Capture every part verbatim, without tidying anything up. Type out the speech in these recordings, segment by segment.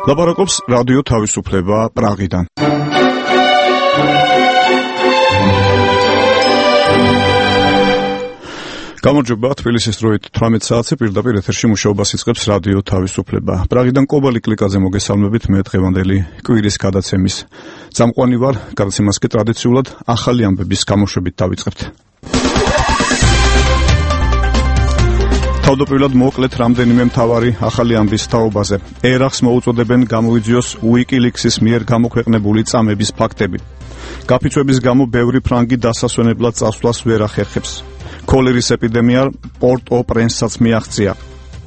ლაპარაკობს რადიო თავისუფლება პრაღიდან. გამარჯობა, თბილისის დროით თვრამეტ საათზე პირდაპირ ეთერში მუშაობას იწყებს რადიო თავისუფლება. პრაღიდან კობალი კლიკაზე მოგესალმებით, მე დღევანდელი კვირის გადაცემის წამყვანი ვარ, გადაცემას კი ტრადიციულად ახალი ამბების გამოშვებით დავიწყებთ. თავდაპირველად მოკლედ რამდენიმე მთავარი ახალი ამბის თაობაზე. ერახს მოუწოდებენ გამოიძიოს WikiLeaks-ის მიერ გამოქვეყნებული წამების ფაქტები. გაფიცვების გამო ბევრი ფრანგი დასასვენებლად წასვლას ვერ ახერხებს. ქოლერის ეპიდემია პორტ-ო-პრენსსაც მიაღწია.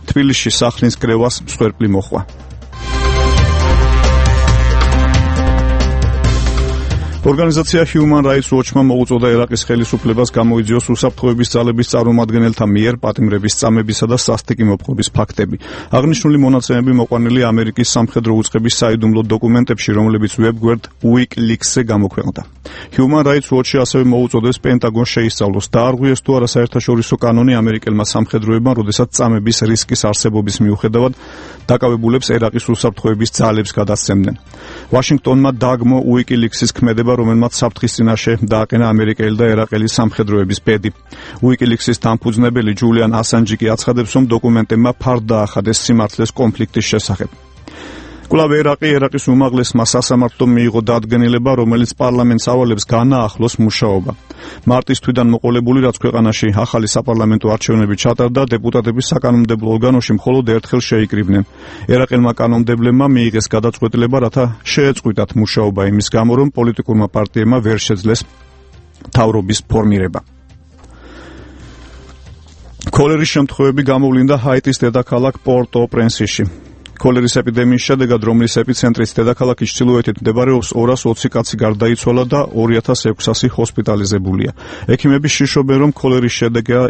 თბილისში სახლის კრევას მსხვერპლი მოხვა. ორგანიზაცია Human Rights Watch-მა მოუწოდა ერაყის ხელისუფლებას გამოიძიოს უსაფრთხოების ძალების წარმომადგენელთა მიერ პატიმრების წამებისა და სასტიკი მოპყრობის ფაქტები. აღნიშნული მონაცემები მოყვანილი ამერიკის სამხედრო უწყების საიდუმლო დოკუმენტებში, რომლებიც ვებგვერდ WikiLeaks-ზე გამოქვეყნდა. Human Rights Watch-ი ასევე მოუწოდებს პენტაგონს შეისწავლოს, დაარღვიეს თუ არა საერთაშორისო კანონი ამერიკელმა სამხედროებმა, როდესაც წამების რისკის არსებობის მიუხედავად დაკავებულებს ერაყის უსაფრთხოების ძალებს გადასცემდნენ. ვაშინგტონმა დაგმო WikiLeaks-ის ქმედება, რომელმაც საფრთხის წინაშე დააყენა ამერიკელი და ერაყელი სამხედროების ბედი. WikiLeaks-ის დამფუძნებელი ჯულიან ასანჯი კი აცხადებს, რომ დოკუმენტებმა ფარდ დაახადეს სიმართლეს კონფლიქტის შესახებ. კვლავ ერაყი ერაყის უმაღლესმა სასამართლომ მიიღო დადგენილება, რომელიც პარლამენტს ავალებს განაახლოს მუშაობა. მარტის თვიდან მოყოლებული, რაც ქვეყანაში ახალი საპარლამენტო არჩევნები ჩატარდა, დეპუტატების საკანონმდებლო ორგანოში მხოლოდ ერთხელ შეიკრიბნენ. ერაყელმა კანონმდებლებმა მიიღეს გადაწყვეტილება, რათა შეეწყვიტათ მუშაობა იმის გამო, რომ პოლიტიკურმა პარტიებმა ვერ შეძლეს მთავრობის ფორმირება. ქოლერის შემთხვევები გამოვლინდა ჰაიტის დედაქალაქ პორტ-ო-პრენსში. ქოლერის ეპიდემიის შედეგად, რომლის ეპიცენტრიც დედაქალაქის ჩრდილოეთით მდებარეობს, ორას ოცი კაცი გარდაიცვალა და ორი ათას ექვსასი ჰოსპიტალიზებულია. ექიმები შიშობენ, რომ ქოლერის შედეგია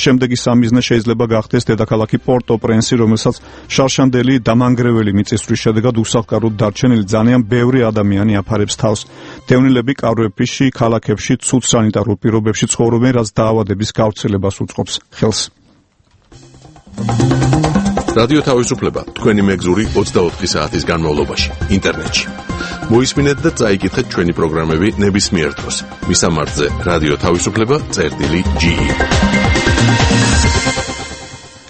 შემდეგი სამიზნე შეიძლება გახდეს დედაქალაქი პორტ-ო-პრენსი, რომელსაც შარშანდელი დამანგრეველი მიწისძვრის შედეგად უსახკაროდ დარჩენილი ძალიან ბევრი ადამიანი აფარებს თავს. დევნილები კავრებში, ქალაქებში, ცუდ სანიტარულ პირობებში ცხოვრობენ, რაც დაავადების გავრცელებას უწყობს ხელს. რადიო თავისუფლება თქვენი მეგზური ოცდაოთხი საათის განმავლობაში ინტერნეტში. მოისმინეთ და წაიკითხეთ ჩვენი პროგრამები ნებისმიერ დროს. მისამართზე რადიო თავისუფლება წერტილი ჯი.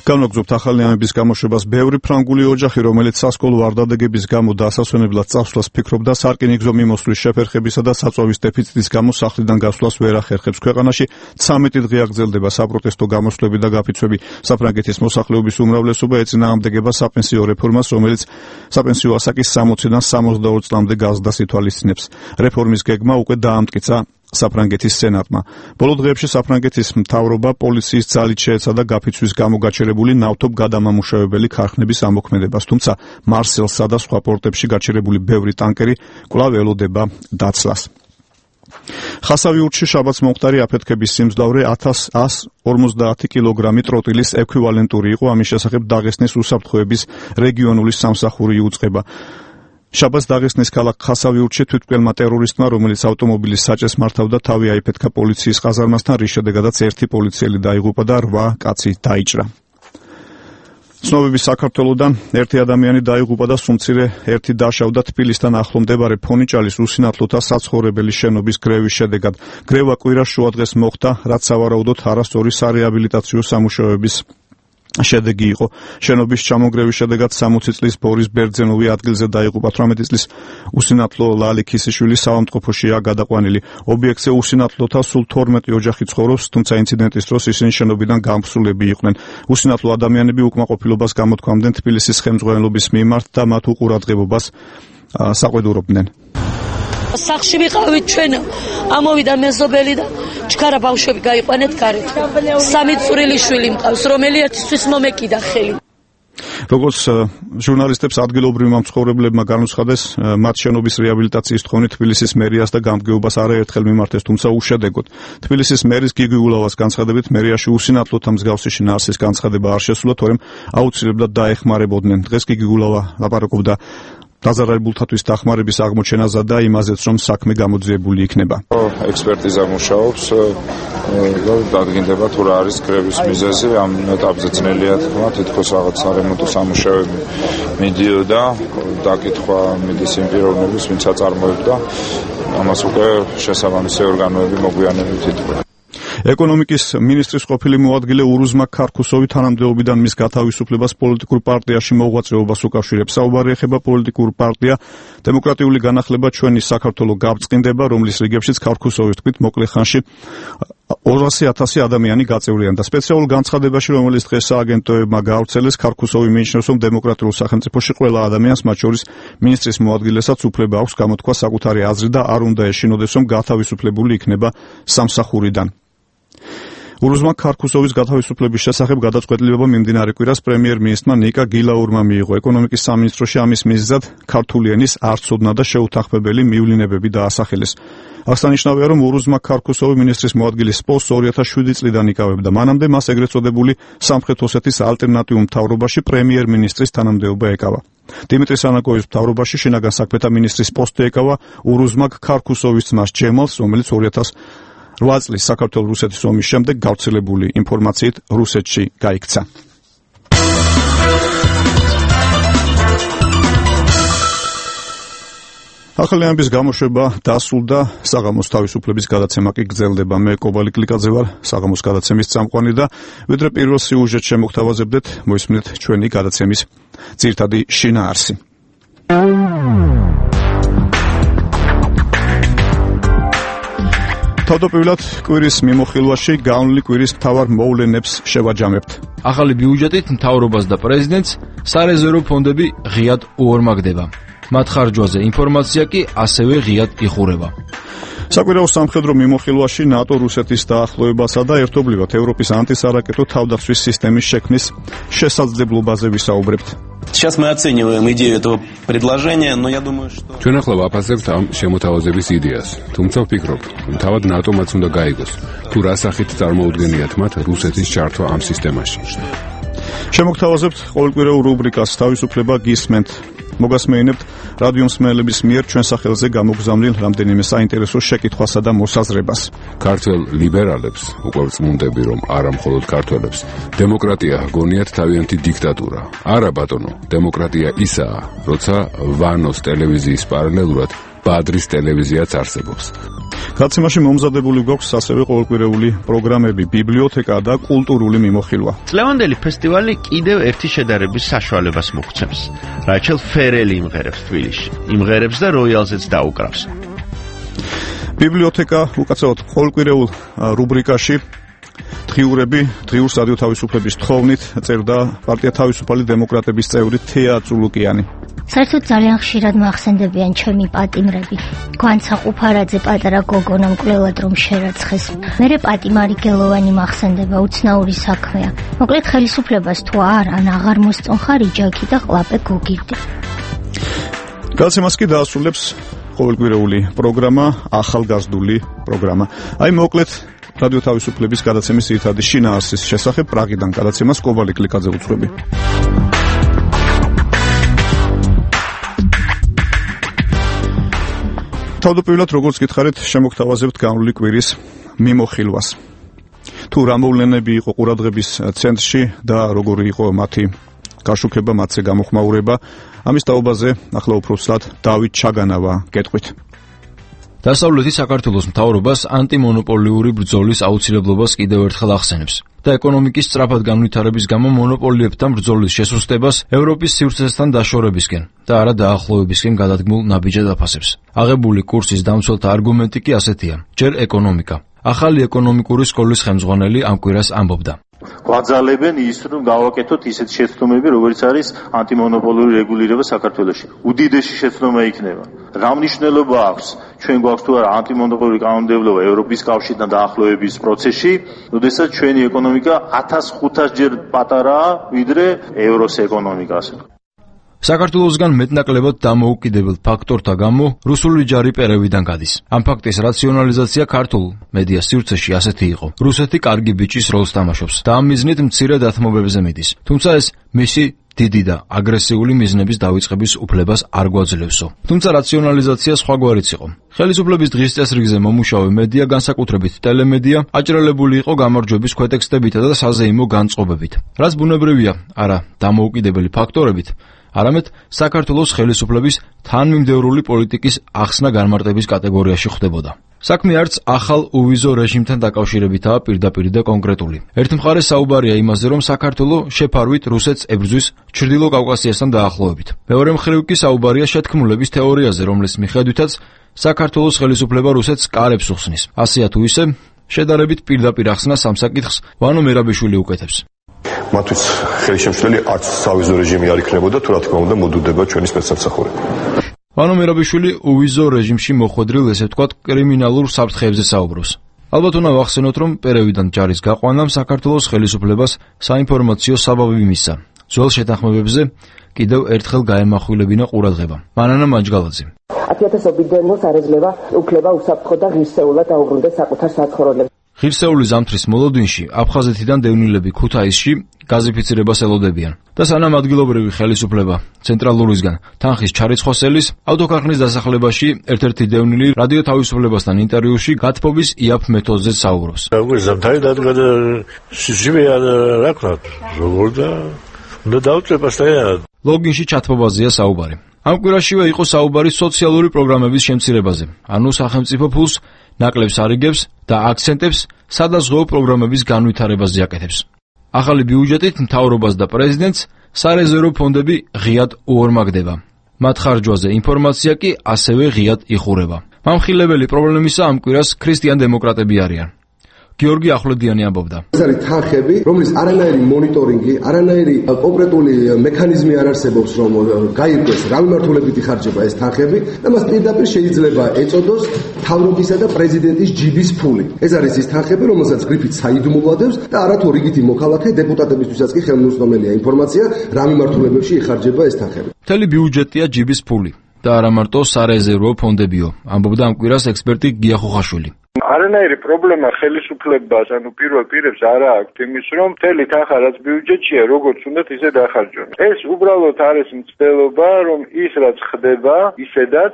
განვაგრძობთ ახალი ამბების გამოშვებას. ბევრი ფრანგული ოჯახი, რომელიც სასკოლო არდადეგების გამო დასასვენებლად წასვლას ფიქრობდა, სარკინიგზო მიმოსვლის შეფერხებისა და საწვავის დეფიციტის გამო სახლიდან გასვლას ვერ ახერხებს. ქვეყანაში ცამეტი დღე აგრძელდება საპროტესტო გამოსვლები და გაფიცვები. საფრანგეთის მოსახლეობის უმრავლესობა ეწინააღმდეგება საპენსიო რეფორმას, რომელიც საპენსიო ასაკის სამოციდან სამოცდაორ წლამდე გაზრდას ითვალისწინებს. რეფორმის გეგმა უკვე დაამტკიცა საფრანგეთის სენატმა. ბოლო დღეებში საფრანგეთის მთავრობა პოლიციის ძალით შეეცადა გაფიცვის გამო გაჩერებული ნავთობ გადამამუშავებელი ქარხნების ამოქმედებას, თუმცა მარსელსა და სხვა პორტებში გაჩერებული ბევრი ტანკერი კვლავ ელოდება დაცლას. ხასავიურთში შაბათს მომხდარი აფეთქების სიმძლავრე ათას ათას ორმოცდაათი კილოგრამი ტროტილის ექვივალენტური იყო, ამის შესახებ დაღესტნის უსაფრთხოების რეგიონული სამსახური იუწყება. შაბათს დაღესტნის ქალაქ ხასავიურთში თვითმკვლელმა ტერორისტმა, რომელიც ავტომობილის საჭეს მართავდა, თავი აიფეთქა პოლიციის ყაზარმასთან, რის შედეგადაც ერთი პოლიციელი დაიღუპა და რვა კაცი დაიჭრა. ცნობების საქართველოდან ერთი ადამიანი დაიღუპა და სუმცირე ერთი დაშავდა თბილისთან ახლო მდებარე ფონიჭალის უსინათლოთა საცხოვრებელი შენობის გრევის შედეგად. გრევა კვირას შუადღეს მოხდა, რაც სავარაუდოდ არასწორი სარეაბილიტაციო სამუშაოების შედეგი იყო. შენობის ჩამონგრევის შედეგად სამოცი წლის ბორის ბერძენოვი ადგილზე დაიღუპა. თვრამეტი წლის უსინათლო ლალი ქისიშვილი საავადმყოფოშია გადაყვანილი. ობიექტზე უსინათლოთა სულ თორმეტი ოჯახი ცხოვრობს, თუმცა ინციდენტის დროს ისინი შენობიდან გამსვლები იყვნენ. უსინათლო ადამიანები უკმაყოფილებას გამოთქვამდნენ თბილისის ხელმძღვანელობის მიმართ და მათ უყურადღებობას საყვედურობდნენ. სახში ვიყავით ჩვენ, ამოვიდა მეზობელი და ჩქარა ბავშვები გაიყვანეთ გარეთ. სამი წვრილი შვილი მყავს, რომელიათისთვის მომეკიდა ხელი. როგორც ჟურნალისტებს ადგილობრივმა მცხოვრებლებმა განუცხადეს, მათ შენობის რეაბილიტაციის თხოვნით თბილისის მერიას და გამგეობას არაერთხელ მიმართეს, თუმცა უშედეგოდ. თბილისის მერის გიგი ულავას განცხადებით, მერიაში უსინათლოთა მსგავსი შინაარსის განცხადება არ შესულა, თორემ აუცილებლად დაეხმარებოდნენ. დღეს გიგი ულავა ლაპარაკობდა დაზარალებულთათვის დახმარების აღმოჩენაზე და იმაზეც, რომ საქმე გამოძიებული იქნება. ექსპერტიზა მუშაობს, დადგინდება თუ რა არის კრების მიზეზი, ამ ეტაპზე ძნელია თქვა, თითქოს რაღაც სარემონტო სამუშაოები მიდიოდა, დაკითხვა მიდის იმ პიროვნების, ვინც აწარმოებდა, ამას უკვე შესაბამისი ორგანოები მოგვიანებით ითქვა. ეკონომიკის მინისტრის ყოფილი მოადგილე ურუზმა ქარქუსოვი თანამდებობიდან მის გათავისუფლებას პოლიტიკურ პარტიაში მოღვაწეობას უკავშირებს. საუბარი ეხება პოლიტიკურ პარტია დემოკრატიული განახლება ჩვენი საქართველო გაბრწყინდება, რომლის რიგებშიც ქარქუსოვის თქმით მოკლე ხანში ორასი ათასი ადამიანი გაწევრიანდა. სპეციალურ განცხადებაში, რომელიც დღეს სააგენტოებმა გაავრცელეს, ქარქუსოვი მიიჩნევს, რომ დემოკრატიულ სახელმწიფოში ყველა ადამიანს, მათ შორის მინისტრის მოადგილესაც უფლება აქვს გამოთქვა საკუთარი აზრი და არ უნდა ეშინოდეს, რომ გათავისუფლებული იქნება სამსახურიდან. ურუზმა ქარქუსოვის გათავისუფლების შესახებ გადაწყვეტილება მიმდინარე კვირას პრემიერ-მინისტრმა ნიკა გილაურმა მიიღო. ეკონომიკის სამინისტროში ამის მიზეზად ქართული ენის არცოდნა და შეუთანხმებელი მივლინებები დაასახელეს. აღსანიშნავია, რომ ურუზმა ქარქუსოვი მინისტრის მოადგილის პოსტს ორი ათას შვიდი წლიდან იკავებდა. მანამდე მას ეგრეთ წოდებული სამხრეთ ოსეთის ალტერნატიულ მთავრობაში პრემიერ-მინისტრის თანამდებობა ეკავა. დიმიტრი სანაკოვის მთავრობაში შინაგან საქმეთა მინისტრის პოსტი ეკავა ურუზმა ქარქუსოვის ძმას ჯემალს, რომელიც ორი ათას რვა წლის საქართველო-რუსეთის ომის შემდეგ გავრცელებული ინფორმაციით რუსეთში გაიქცა. ახალი ამბის გამოშვება დასრულდა, საღამოს თავისუფლების გადაცემა კი გრძელდება. მე კობალი კლიკაძე ვარ, საღამოს გადაცემის წამყვანი და ვიდრე პირველ სიუჟეტს შემოგთავაზებდეთ, მოისმინეთ ჩვენი გადაცემის ძირითადი შინაარსი. თავდაპირველად კვირის მიმოხილვაში განვლილი კვირის მთავარ მოვლენებს შევაჯამებთ. ახალი ბიუჯეტით მთავრობას და პრეზიდენტს სარეზერვო ფონდები ღიად უორმაგდება. მათ ხარჯვაზე ინფორმაცია კი ასევე ღიად იხურება. საკვირაო სამხედრო მიმოხილვაში ნატო რუსეთის დაახლოებასა და ერთობლივად ევროპის ანტისარაკეტო თავდაცვის სისტემის შექმნის შესაძლებლობაზე ვისაუბრებთ. Сейчас мы оцениваем идею этого предложения, но я думаю, что ჩვენ ახლა ვაფასებთ ამ შემოთავაზების იდეას. თუმცა ვფიქრობ, თავად ნატომ-აც უნდა გაიგოს, თუ რა სახით წარმოუდგენიათ მათ რუსეთის ჩართვა ამ სისტემაში. შემოგთავაზებთ ყოველკვირეულ რუბრიკას თავისუფლება გისმენთ. მოგასმეინებთ რადიო მსმენელების მიერ ჩვენ სახელზე გამოგზავნილ რამდენიმე საინტერესო შეკითხვასა და მოსაზრებას. ქართველ ლიბერალებს უკვე ვწმუნდები, რომ არა მხოლოდ ქართველებს, დემოკრატია ჰგონიათ თავიანთი დიქტატურა. არა ბატონო, დემოკრატია ისაა, როცა ვანოს ტელევიზიის პარალელურად ბადრის ტელევიზიაც არსებობს. გადაცემაში მომზადებული გვაქვს ასევე ყოველკვირეული პროგრამები, ბიბლიოთეკა და კულტურული მიმოხილვა. წლევანდელი ფესტივალი კიდევ ერთი შედარების საშუალებას მოგცემს. რაჩელ ფერელი იმღერებს თბილისში, იმღერებს და როიალზეც დაუკრავს. ბიბლიოთეკა უკაცრავად ყოველკვირეულ რუბრიკაში დღიურები, დღიურს რადიო თავისუფლების თხოვნით წერდა პარტია თავისუფალი დემოკრატების წევრი თეა წულუკიანი. საერთოდ ძალიან ხშირად მახსენდებიან ჩემი პატიმრები. გვანცა ყუფარაძე პატარა გოგონა მკვლელად რომ შერაცხეს. მერე პატიმარი გელოვანი მახსენდება, უცნაური საქმეა. მოკლედ ხელისუფლებას თუ არ ან აღარ მოსწონხარ იჯაგი და ყლაპე გოგირდი. გადაცემას კი დაასრულებს ყოველკვირეული პროგრამა, ახალგაზრდული პროგრამა. აი მოკლედ რადიო თავისუფლების გადაცემის ძირითადი შინაარსის შესახებ პრაღიდან გადაცემას კობალი კლიკაძე უძღვები. თავდაპირველად როგორც გითხარით, შემოგთავაზებთ განვლილი კვირის მიმოხილვას. თუ რა მოვლენები იყო ყურადღების ცენტრში და როგორი იყო მათი გაშუქება, მათზე გამოხმაურება, ამის თაობაზე ახლა უფრო ცუდად დავით ჩაგანავა გეტყვით. დასავლეთი საქართველოს მთავრობას ანტიმონოპოლიური ბრძოლის აუცილებლობას კიდევ ერთხელ ახსენებს და ეკონომიკის სწრაფად განვითარების გამო მონოპოლიებთან ბრძოლის შესუსტებას ევროპის სივრცესთან დაშორებისკენ და არა დაახლოებისკენ გადადგმულ ნაბიჯად აფასებს. აღებული კურსის დამცველთა არგუმენტი კი ასეთია: ჯერ ეკონომიკა. ახალი ეკონომიკური სკოლის ხელმძღვანელი ამ კვირას ამბობდა. გვაძალებენ ის, რომ გავაკეთოთ ისეთ შეცდომები, როგორც არის ანტიმონოპოლური რეგულირება საქართველოში. უდიდესი შეცდომა იქნება. რა მნიშვნელობა აქვს? ჩვენ გვაქვს თუ არა ანტიმონოპოლური კანონმდებლობა ევროპის კავშირთან დაახლოების პროცესში, როდესაც ჩვენი ეკონომიკა ათას ხუთას ჯერ პატარაა, ვიდრე ევროს ეკონომიკა. საქართველოსგან მეტნაკლებად დამოუკიდებელ ფაქტორთა გამო რუსული ჯარი პერევიდან გადის. ამ ფაქტის რაციონალიზაცია ქართულ მედია სივრცეში ასეთი იყო: რუსეთი კარგი ბიჭის როლს თამაშობს და ამ მიზნით მცირე დათმობებზე მიდის. თუმცა ეს მისი დიდი და აგრესიული მიზნების დავიწყების უფლებას არ გვაძლევსო. თუმცა რაციონალიზაცია სხვაგვარიც იყო. ხელისუფლების დღის წესრიგზე მომუშავე მედია, განსაკუთრებით ტელემედია, აჭრელებული იყო გამარჯვების ქვეტექსტებით და საზეიმო განწყობებით. რაც ბუნებრივია, არა დამოუკიდებელი ფაქტორებით, არამედ საქართველოს ხელისუფლების თანმიმდევრული პოლიტიკის ახსნა-განმარტების კატეგორიაში ხდებოდა. საქმე არც ახალ უვიზო რეჟიმთან დაკავშირებითაა პირდაპირ და კონკრეტული. ერთ მხარეს საუბარია იმაზე, რომ საქართველო შეფარვით რუსეთს ებრძვის ჩრდილო კავკასიასთან დაახლოებით. მეორე მხრივ კი საუბარია შეთქმულების თეორიაზე, რომლის მიხედვითაც საქართველოს ხელისუფლება რუსეთს კარებს უხსნის. ასეა თუ ისე, შედარებით პირდაპირ ახსნა სამსაკითხს ვანო მერაბიშვილი უკეთებს. მათთვის ხელშემშლელი არც სავიზო რეჟიმი არ იქნებოდა, თუ რა თქმა უნდა მოდუდება ჩვენი სპეცსამსახურები. ვანო მერაბიშვილი უვიზო რეჟიმში მოხვედრილ, ესე ვთქვათ, კრიმინალურ საფრთხეებზე საუბრობს. ალბათ უნდა ვახსენოთ, რომ პერევიდან ჯარის გაყვანამ საქართველოს ხელისუფლებას საინფორმაციო საბაბი მისცა. ძველ შეთანხმებებზე კიდევ ერთხელ გაემახვილებინა ყურადღება. მანანა მაჯგალაძე. ათიათასობით დენოს არ ეძლევა უფლება უსაფრთხო და ღირსეულად აუბრუნდეს საკუთარ საცხოვრებლებს. ღირსეული ზამთრის მოლოდინში აფხაზეთიდან დევნილები ქუთაისში გაზიფიცირებას ელოდებიან და სანამ ადგილობრივი ხელისუფლება ცენტრალურისგან თანხის ჩარიცხვასელის ავტოქარხნის დასახლებაში ერთ-ერთი დევნილი რადიო თავისუფლებასთან ინტერვიუში გათბობის იაფ მეთოდზე საუბრობს. როგორ ზამთარი დადგა და სიჟივეა რა ქვია როგორ და უნდა დავწება სტაიანად. ლოგინში ჩათბობაზეა საუბარი. ამ კვირაშივე იყო საუბარი სოციალური პროგრამების შემცირებაზე, ანუ სახელმწიფო ფულს ნაკლებს არიგებს და აქცენტებს სადაზღვეო პროგრამების განვითარებაზე აკეთებს. ახალი ბიუჯეტით მთავრობას და პრეზიდენტს სარეზერვო ფონდები ღიად უორმაგდება. მათ ხარჯვაზე ინფორმაცია კი ასევე ღიად იხურება. მამხილებელი პრობლემისა ამ კვირას ქრისტიან დემოკრატები არიან. გიორგი ახვლედიანი ამბობდა. ეს არის თანხები, რომლის არანაირი მონიტორინგი, არანაირი კონკრეტული მექანიზმი არ არსებობს, რომ გაირკვეს რა მიმართულებით იხარჯება ეს თანხები და მას პირდაპირ შეიძლება ეწოდოს მთავრობისა და პრეზიდენტის ჯიბის ფული. ეს არის ის თანხები, რომელსაც გრიფით საიდუმლოდებს და არათუ რიგითი მოქალაქე დეპუტატებისთვისაც კი ხელმისაწვდომელია ინფორმაცია რა მიმართულებებში იხარჯება ეს თანხები. მთელი ბიუჯეტია ჯიბის ფული და არა მარტო სარეზერვო ფონდებიო, ამბობდა ამ კვირას ექსპერტი გია ხუხაშვილი. არანაირი პრობლემა ხელისუფლებას, ანუ პირველ პირებს არ აქვს იმის, რომ მთელი თანხა რაც ბიუჯეტშია, როგორც უნდათ ისე დახარჯონ. ეს უბრალოდ არის მცდელობა, რომ ის რაც ხდება, ისედაც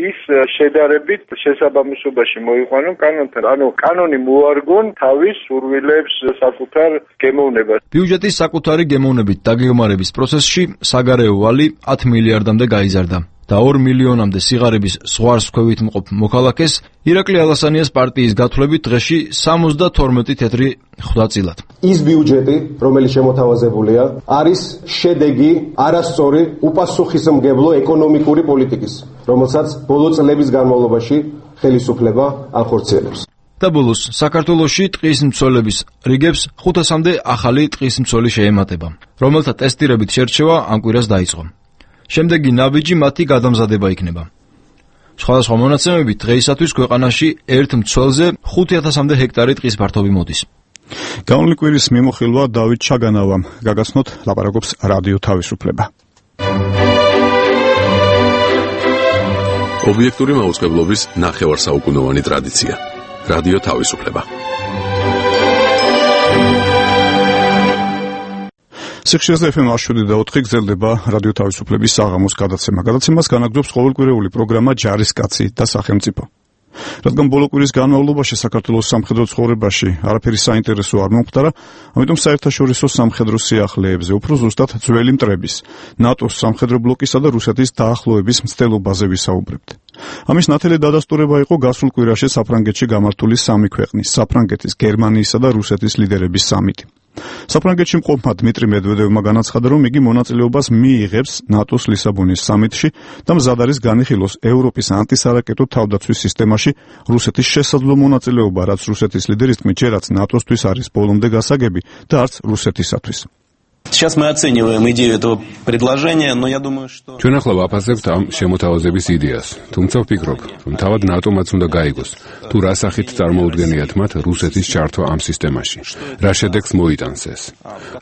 ის შედარებით შესაბამისობაში მოიყვანონ კანონთან. ანუ კანონი მოარგონ თავის სურვილებს, საკუთარ გემოვნებას. ბიუჯეტის საკუთარი გემოვნებით დაგეგმარების პროცესში საგარეო ვალი ათ მილიარდამდე გაიზარდა. და ორ მილიონამდე სიღარიბის ზღვარს ქვევით მყოფ მოქალაქეს ირაკლი ალასანიას პარტიის გათვლებით დღეში სამოცდათორმეტი თეთრი ხვდა წილად. ის ბიუჯეტი, რომელიც შემოთავაზებულია, არის შედეგი არასწორი უპასუხისმგებლო ეკონომიკური პოლიტიკის, რომელსაც ბოლო წლების განმავლობაში ხელისუფლება ახორციელებს. და ბოლოს საქართველოში ტყის მცველების რიგებს ხუთასამდე ახალი ტყის მცველი შეემატება, რომელთა ტესტირებით შერჩევა ამ კვირას დაიწყო. შემდეგი ნაბიჯი მათი გადამზადება იქნება. სხვადასხვა მონაცემებით დღეისათვის ქვეყანაში ერთ მცველზე ხუთ ათასამდე ჰექტარი ტყის ფართობი მოდის. გამოვლინი კვირის მიმოხილვა დავით ჩაგანავამ. გაგაცნოთ ლაპარაკობს რადიო თავისუფლება. ობიექტური მაუწყებლობის ნახევარსაუკუნოვანი ტრადიცია. რადიო თავისუფლება. სიხშირეზე ეფ ემ შვიდი და ოთხი გრძელდება რადიო თავისუფლების საღამოს გადაცემა. გადაცემას განაგრძობს ყოველკვირეული პროგრამა ჯარისკაცი და სახელმწიფო. რადგან ბოლო კვირის განმავლობაში საქართველოს სამხედრო ცხოვრებაში არაფერი საინტერესო არ მომხდარა, ამიტომ საერთაშორისო სამხედრო სიახლეებზე, უფრო ზუსტად ძველი მტრების, ნატოს სამხედრო ბლოკისა და რუსეთის დაახლოების მცდელობაზე ვისაუბრებთ. ამის ნათელი დადასტურება იყო გასულ კვირაში საფრანგეთში გამართული სამი ქვეყნის, საფრანგეთის, გერმანიისა და რუსეთის ლიდერების სამიტი. საფრანგეთში მყოფმა დმიტრი მედვედევმა განაცხადა, რომ იგი მონაწილეობას მიიღებს ნატოს ლისაბონის სამიტში და მზად არის განიხილოს ევროპის ანტისარაკეტო თავდაცვის სისტემაში რუსეთის შესაძლო მონაწილეობა, რაც რუსეთის ლიდერის თქმით ჯერაც ნატოსთვის არის ბოლომდე გასაგები და არც რუსეთისათვის. Сейчас мы оцениваем идею этого предложения, но я думаю, что... ჩვენ ახლა ვაფასებთ ამ შემოთავაზების იდეას, თუმცა ვფიქრობ, რომ თავად ნატომაც უნდა გაიგოს, თუ რა სახით წარმოუდგენიათ მათ რუსეთის ჩართვა ამ სისტემაში, რა შედეგს მოიტანს ეს.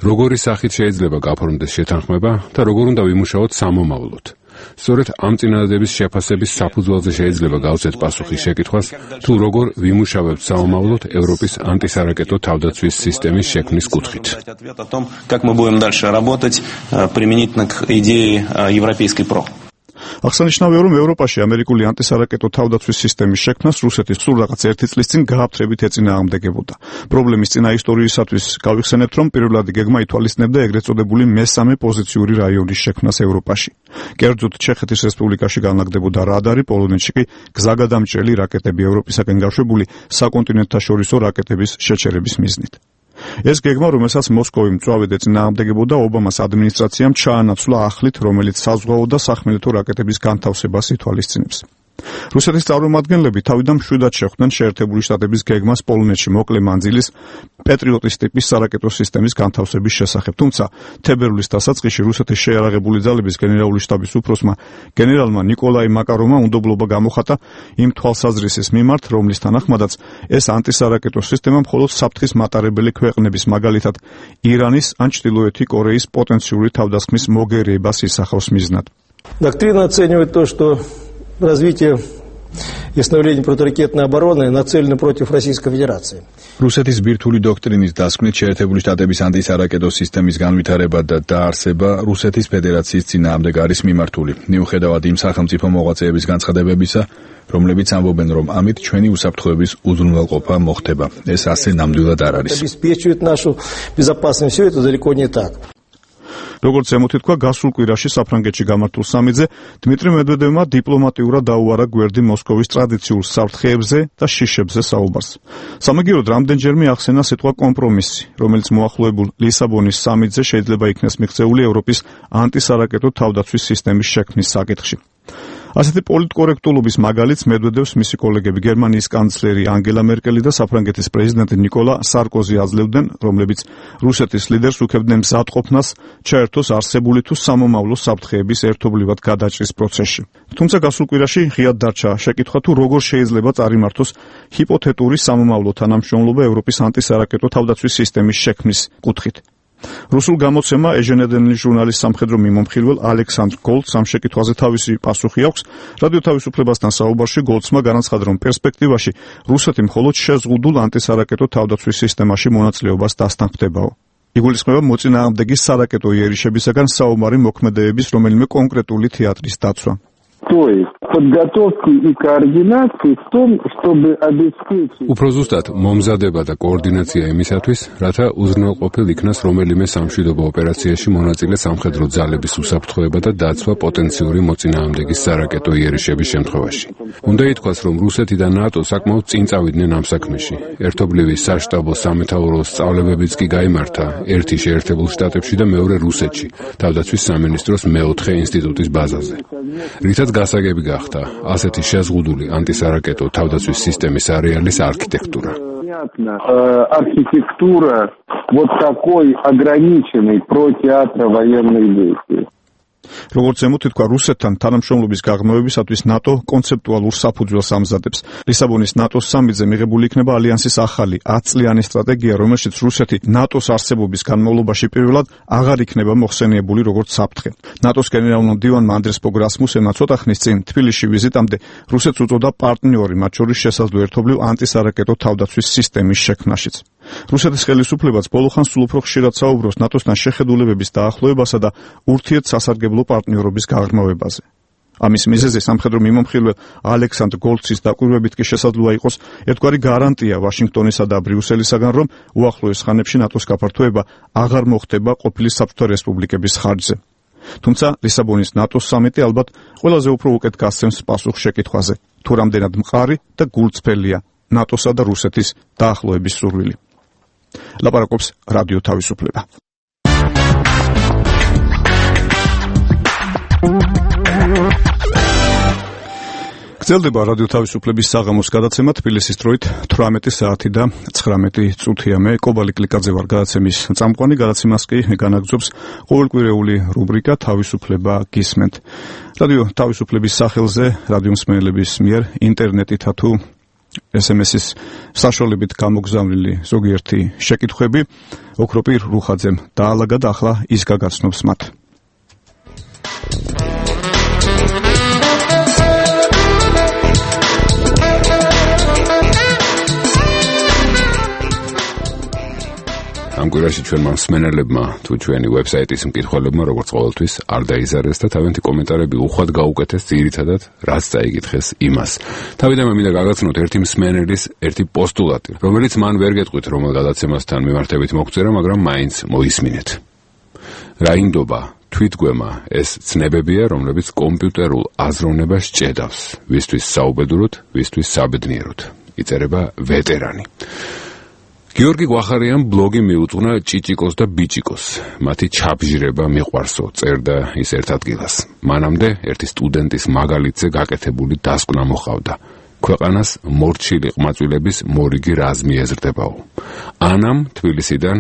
როგორი სახით შეიძლება გაფორმდეს შეთანხმება და როგორ უნდა ვიმუშაოთ სამომავლოდ. სწორედ ამ წინადადების შეფასების საფუძველზე შეიძლება გავცეთ პასუხი შეკითხვას, თუ როგორ ვიმუშავებთ საომავლოდ ევროპის ანტისარაკეტო თავდაცვის სისტემის შექმნის კუთხით. Как мы будем дальше работать применительно к идее европейской ПРО. აღსანიშნავია, რომ ევროპაში ამერიკული ანტისარაკეტო თავდაცვის სისტემის შექმნას რუსეთი სულ რაღაც ერთი წლის წინ გააფთრებით ეწინააღმდეგებოდა. პრობლემის წინა ისტორიისათვის გავიხსენებთ, რომ პირველადი გეგმა ითვალისწინებდა ეგრეთ წოდებული მესამე პოზიციური რაიონის შექმნას ევროპაში. კერძოდ ჩეხეთის რესპუბლიკაში განლაგდებოდა რადარი, პოლონეთში კი გზაგადამჭრელი რაკეტები ევროპისაკენ გაშვებული საკონტინენტთაშორისო რაკეტების შეჩერების მიზნით. ეს გეგმა, რომელსაც მოსკოვი მწვავედ ეწინააღმდეგებოდა, ობამას ადმინისტრაციამ ჩაანაცვლა ახლით, რომელიც საზღვაო და სახმელეთო რაკეტების განთავსებას ითვალისწინებს. რუსეთის წარმომადგენლები თავიდან მშვიდად შეხვდნენ შეერთებული შტატების გეგმას პოლონეთში მოკლე მანძილის პეტრიოტის ტიპის სარაკეტო სისტემის განთავსების შესახებ. თუმცა თებერვლის დასაწყისში რუსეთის შეიარაღებული ძალების გენერალური შტაბის უფროსმა გენერალმა ნიკოლაი მაკაროვმა უნდობლობა გამოხატა იმ თვალსაზრისის მიმართ, რომლის თანახმადაც ეს ანტისარაკეტო სისტემა მხოლოდ საფრთხის მატარებელი ქვეყნების, მაგალითად ირანის ან ჩრდილოეთი კორეის პოტენციური თავდასხმის მოგერიებას ისახავს მიზნად. Доктрина оценивает то, что развитие и становление противоракетной обороны нацелены против Российской Федерации. რუსეთის ბირთვული დოქტრინის დასკვნით შეერთებული შტატების ანტისარაკეტო სისტემის განვითარება და დაარსება რუსეთის ფედერაციის წინააღმდეგ არის მიმართული. მიუხედავად იმ სახელმწიფო მოღვაწეების განცხადებებისა, რომლებიც ამბობენ, რომ ამით ჩვენი უსაფრთხოების უზრუნველყოფა მოხდება. ეს ასე ნამდვილად არ არის. Обеспечивает нашу безопасность. Все это далеко не так. როგორც ემოთითქვა გასულ კვირაში საფრანგეთში გამართულ სამიტზე, დმიტრი მედვედევმა დიპლომატიურად დაუარა გვერდი მოსკოვის ტრადიციულ საფრთხეებზე და შიშებზე საუბარს. სამაგიეროდ რამდენჯერმე ახსენა სიტყვა კომპრომისი, რომელიც მოახლოებულ ლისაბონის სამიტზე შეიძლება იქნეს მიღწეული ევროპის ანტისარაკეტო თავდაცვის სისტემის შექმნის საკითხში. ასეთი პოლიტკორექტულობის მაგალითს მედვედევს მისი კოლეგები გერმანიის კანცლერი ანგელა მერკელი და საფრანგეთის პრეზიდენტი ნიკოლა სარკოზი აძლევდნენ, რომლებიც რუსეთის ლიდერს უქებდნენ მზადყოფნას ჩაერთოს არსებული თუ სამომავლო საფრთხეების ერთობლივად გადაჭრის პროცესში. თუმცა გასულ კვირაში ღიად დარჩა შეკითხვა, თუ როგორ შეიძლება წარიმართოს ჰიპოთეტური სამომავლო თანამშრომლობა ევროპის ანტისარაკეტო თავდაცვის სისტემის შექმნის კუთხით. რუსულ გამოცემა ეჟენედენლის ჟურნალის სამხედრო მიმომხილველ ალექსანდრ გოლდს ამ შეკითხვაზე თავისი პასუხი აქვს. რადიო თავისუფლებასთან საუბარში გოლდსმა განაცხადა, რომ პერსპექტივაში რუსეთი მხოლოდ შეზღუდულ ანტისარაკეტო თავდაცვის სისტემაში მონაწილეობას დასთანხმდებაო. იგულისხმება მოწინააღმდეგის სარაკეტო იერიშებისაგან საომარი მოქმედებების რომელიმე კონკრეტული თეატრის დაცვა. То есть подготовки и координации в том, чтобы обеспечить. უფრო ზუსტად მომზადება და კოორდინაცია იმისათვის, რათა უზრუნველყოფილ იქნას რომელიმე სამშვიდობო ოპერაციაში მონაწილე სამხედრო ძალების უსაფრთხოება და დაცვა პოტენციური მოწინააღმდეგის სარაკეტო იერიშების შემთხვევაში. უნდა ითქვას, რომ რუსეთი და ნატო საკმაოდ წინ წავიდნენ ამ საქმეში. ერთობლივი საშტაბო სამეთაურო სწავლებებიც კი გაიმართა ერთი შეერთებულ შტატებში და მეორე რუსეთში, თავდაცვის სამინისტროს მეოთხე ინსტიტუტის ბაზაზე. რითაც გასაგები გახდა ასეთი შეზღუდული ანტისარაკეტო თავდაცვის სისტემის არეალის არქიტექტურა. Архитектура вот такой ограниченной протеатра военных действий. როგორც ემოთითქვა, რუსეთთან თანამშრომლობის გაღრმავებისათვის ნატო კონცეპტუალურ საფუძველს ამზადებს. ლისაბონის ნატოს სამიტზე მიღებული იქნება ალიანსის ახალი ათწლიანი სტრატეგია, რომელშიც რუსეთი ნატოს არსებობის განმავლობაში პირველად აღარ იქნება მოხსენიებული როგორც საფრთხე. ნატოს გენერალურ მდივანმა ანდრეს ბოგ რასმუსენმა ცოტა ხნის წინ თბილისში ვიზიტამდე რუსეთს უწოდა პარტნიორი, მათ შორის შესაძლო ერთობლივ ანტისარაკეტო თავდაცვის სისტემის შექმნაშიც. რუსეთის ხელისუფლებაც ბოლოხანს სულ უფრო ხშირად საუბრობს ნატოსთან შეხედულებების დაახლოებასა და ურთიერთსასარგებლო პარტნიორობის გაღრმავებაზე. ამის მიზეზი სამხედრო მიმომხილველ ალექსანდრ გოლცის დაკვირვებით კი შესაძლოა იყოს ერთგვარი გარანტია ვაშინგტონისა და ბრიუსელისაგან, რომ უახლოეს ხანებში ნატოს გაფართოება აღარ მოხდება ყოფილი საბჭოთა რესპუბლიკების ხარჯზე. თუმცა ლისაბონის ნატოს სამიტი ალბათ ყველაზე უფრო უკეთ გასცემს პასუხს შეკითხვაზე, თუ რამდენად მყარი და გულწრფელია ნატოსა და რუსეთის დაახლოების სურვილი. ლაპარაკობს რადიო თავისუფლება. გრძელდება რადიო თავისუფლების საღამოს გადაცემა თბილისის დროით თვრამეტი საათი და ცხრამეტი წუთია. მე კობალი კლიკაძე ვარ გადაცემის წამყვანი. გადაცემას კი განაგრძობს ყოველკვირეული რუბრიკა თავისუფლება გისმენთ. რადიო თავისუფლების სახელზე რადიო მსმენელების მიერ ინტერნეტით თუ ეს ემ ეს-ის საშუალებით გამოგზავნილი ზოგიერთი შეკითხვები ოქროპირ რუხაძემ დაალაგა და ახლა ის გაგაცნობს მათ. ამ კვირაში ჩვენმა მსმენელებმა თუ ჩვენი ვებსაიტის მკითხველებმა როგორც ყოველთვის არ დაიზარეს და თავიანთი კომენტარები უხვად გაუკეთეს ძირითადად რაც წაიკითხეს იმას. თავიდან მე მინდა გაგაცნოთ ერთი მსმენელის ერთი პოსტულატი, რომელიც მან ვერ გეტყვით რომელ გადაცემასთან მიმართებით მოგწერა, მაგრამ მაინც მოისმინეთ. რაინდობა თვითგვემა ეს ცნებებია, რომლებიც კომპიუტერულ აზროვნებას ჭედავს, ვისთვის საუბედუროთ, ვისთვის საბედნიეროდ. იწერება ვეტერანი. გიორგი გვახარიამ ბლოგი მიუძღვნა ჭიჭიკოს და ბიჭიკოს. მათი ჩაბჟირება მიყვარსო, წერდა ის ერთ ადგილას. მანამდე ერთი სტუდენტის მაგალითზე გაკეთებული დასკვნა მოხავდა. ქვეყანას მორჩილი ყმაწვილების მორიგი რაზმი ეზრდებაო. ანამ თბილისიდან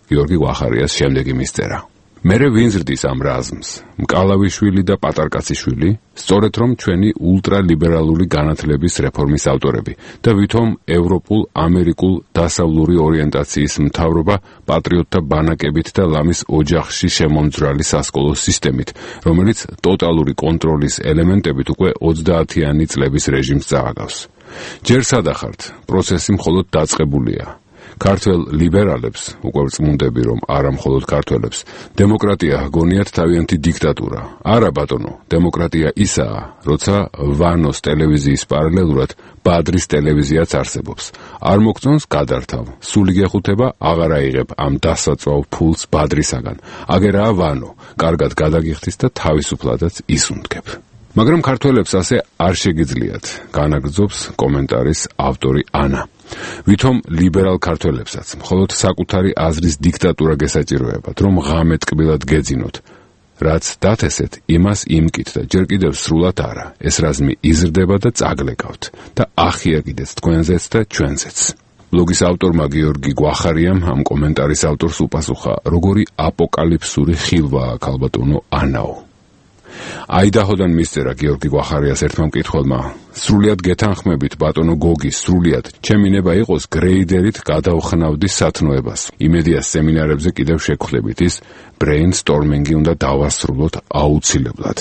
გიორგი გვახარიას შემდეგი მისწერა. მერე ვინ ზრდის ამ რაზმს? მკალავიშვილი და პატარკაციშვილი, სწორედ რომ ჩვენი ულტრალიბერალური განათლების რეფორმის ავტორები და ვითომ ევროპულ, ამერიკულ დასავლური ორიენტაციის მთავრობა პატრიოტთა ბანაკებით და ლამის ოჯახში შემომძვრალი სასკოლო სისტემით, რომელიც ტოტალური კონტროლის ელემენტებით უკვე ოცდაათიანი წლების რეჟიმს წააგავს. ჯერ სადახართ, პროცესი მხოლოდ დაწყებულია. ქართველ ლიბერალებს უკვე წმუნდები რომ არა მხოლოდ ქართველებს დემოკრატია გონიათ თავიანთი დიქტატურა. არა ბატონო, დემოკრატია ისაა, როცა ვანოს ტელევიზიის პარალელურად ბადრის ტელევიზიაც არსებობს. არ მოგწონს გადართავ. სული გეხუთება აღარ აიღებ ამ დასაწვავ ფულს ბადრისაგან. აგერაა ვანო, კარგად გადაგიხდის და თავისუფლადაც ისუნთქებ. მაგრამ ქართველებს ასე არ შეგიძლიათ, განაგრძობს კომენტარის ავტორი ანა. ვითომ ლიბერალ ქართველებსაც მხოლოდ საკუთარი აზრის დიქტატურა გესაჭიროებათ, რომ ღამე ტკბილად გეძინოთ. რაც დათესეთ, იმას იმკით და ჯერ კიდევ სრულად არა. ეს რაზმი იზრდება და წაგლეკავთ და ახია კიდეც თქვენზეც და ჩვენზეც. ბლოგის ავტორმა გიორგი გვახარიამ ამ კომენტარის ავტორს უპასუხა, როგორი აპოკალიფსური ხილვაა ქალბატონო ანაო. აიდაჰოდან მისწერა გიორგი გვახარიას ერთმა მკითხველმა, სრულიად გეთანხმებით ბატონო გოგი, სრულიად ჩემი ნება იყოს გრეიდერით გადავხნავდი სათნოებას. იმედია სემინარებზე კიდევ შეგხვდებით, ის ბრეინსტორმინგი უნდა დავასრულოთ აუცილებლად.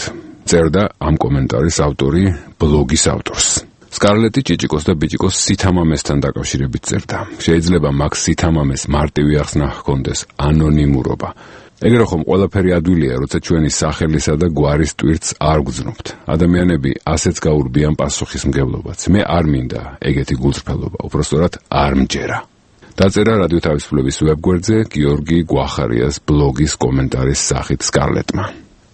წერდა ამ კომენტარის ავტორი ბლოგის ავტორს. სკარლეტი ჭიჭიკოს და ბიჭიკოს სითამამესთან დაკავშირებით წერდა. შეიძლება მაგ სითამამეს მარტივი ახსნა ჰქონდეს ანონიმურობა. ეგრე ხომ ყველაფერი ადვილია, როცა ჩვენი სახელისა და გვარის ტვირთს არ გვძნობთ. ადამიანები ასეც გაურბიან პასუხისმგებლობაც. მე არ მინდა ეგეთი გულწრფელობა, უпростоრად არ მჯერა. დაწერა რადიო თავისუფლების ვებგვერდზე გიორგი გვახარიას ბლოგის კომენტარის სახით სკარლეტმა.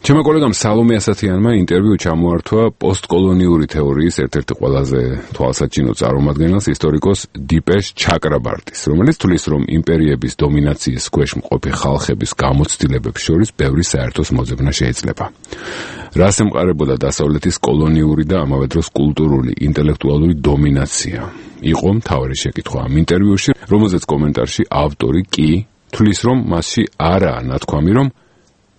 ჩემო კოლეგამ სალომე ასათიანმა ინტერვიუ ჩამოართვა პოსტკოლონიური თეორიის ერთ-ერთი ყველაზე თვალსაჩინო წარმომადგენელს, ისტორიკოს დიპეშ ჩაკრაბარტის, რომელიც თვლის, რომ იმპერიების დომინაციის ქვეშ მყოფი ხალხების გამოცდილებებს შორის ბევრი საერთოს მოძებნა შეიძლება. რას ემყარებოდა დასავლეთის კოლონიური და ამავე დროს კულტურული, ინტელექტუალური დომინაცია? იყო მთავარი შეკითხვა ამ ინტერვიუში, რომელზეც კომენტარში ავტორი კი თვლის, რომ მასში არაა ნათქვამი, რომ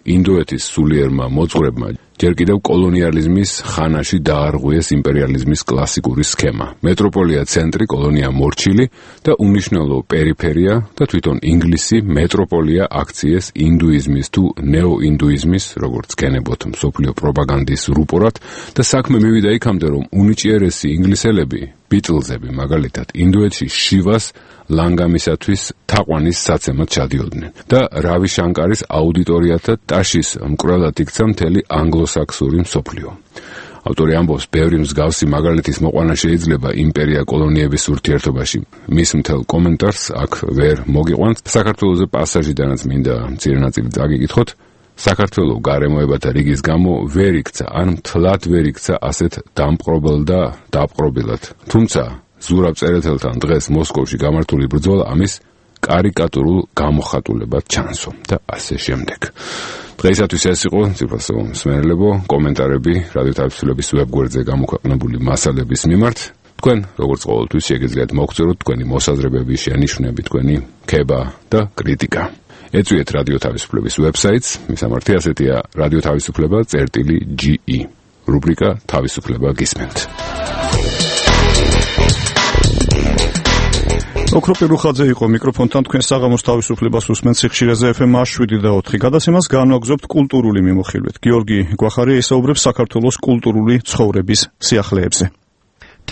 ინდოეთის სულიერმა მოძღვრებმა ჯერ კიდევ კოლონიალიზმის ხანაში დაარღვიეს იმპერიალიზმის კლასიკური სქემა. მეტროპოლია ცენტრი, კოლონია მორჩილი და უნიშნელო პერიფერია და თვითონ ინგლისი მეტროპოლია აქციეს ინდუიზმის თუ ნეოინდუიზმის, როგორც გენებოთ მსოფლიო პროპაგანდის რუპორად და საქმე მივიდა იქამდე, რომ უნიჭიერესი ინგლისელები, ბიტლზები მაგალითად, ინდოეთში შივას ლანგამისათვის თაყვანის საცემად ჩადიოდნენ და რავი შანკარის აუდიტორიათა ტაშის მკვლელად იქცა მთელი ანგლოსაქსური მსოფლიო. ავტორი ამბობს, ბევრი მსგავსი მაგალითის მოყვანა შეიძლება იმპერია კოლონიების ურთიერთობაში. მის მთელ კომენტარს აქ ვერ მოგიყვანთ. საქართველოზე პასაჟიდანაც მინდა მცირე ნაწილი წაგიკითხოთ. საქართველოს გარემოებათა რიგის გამო ვერ იქცა, ან მთლად ვერ იქცა ასეთ დამპყრობელ და დაპყრობილად. თუმცა ზურაბ წერეთელთან დღეს მოსკოვში გამართული ბრძოლა ამის კარიკატურულ გამოხატულებად ჩანსო და ასე შემდეგ. დღეისათვის ეს იყო ციფროსო მსმენელებო კომენტარები რადიო თავისუფლების ვებგვერდზე გამოქვეყნებული მასალების მიმართ. თქვენ როგორც ყოველთვის შეგიძლიათ მოგწეროთ თქვენი მოსაზრებები, შენიშვნები, თქვენი ქება და კრიტიკა. ეწვიეთ რადიო თავისუფლების ვებსაიტს, მისამართი ასეთია რადიო თავისუფლება წერტილი ჯი ი. რუბრიკა თავისუფლება გისმენთ. ოქრო პირუხაძე იყო მიკროფონთან, თქვენ საღამოს თავისუფლებას უსმენთ სიხშირეზე ეფ ემ შვიდი და ოთხი. გადაცემას განვაგრძობთ კულტურული მიმოხილვით. გიორგი გვახარია ისაუბრებს საქართველოს კულტურული ცხოვრების სიახლეებზე.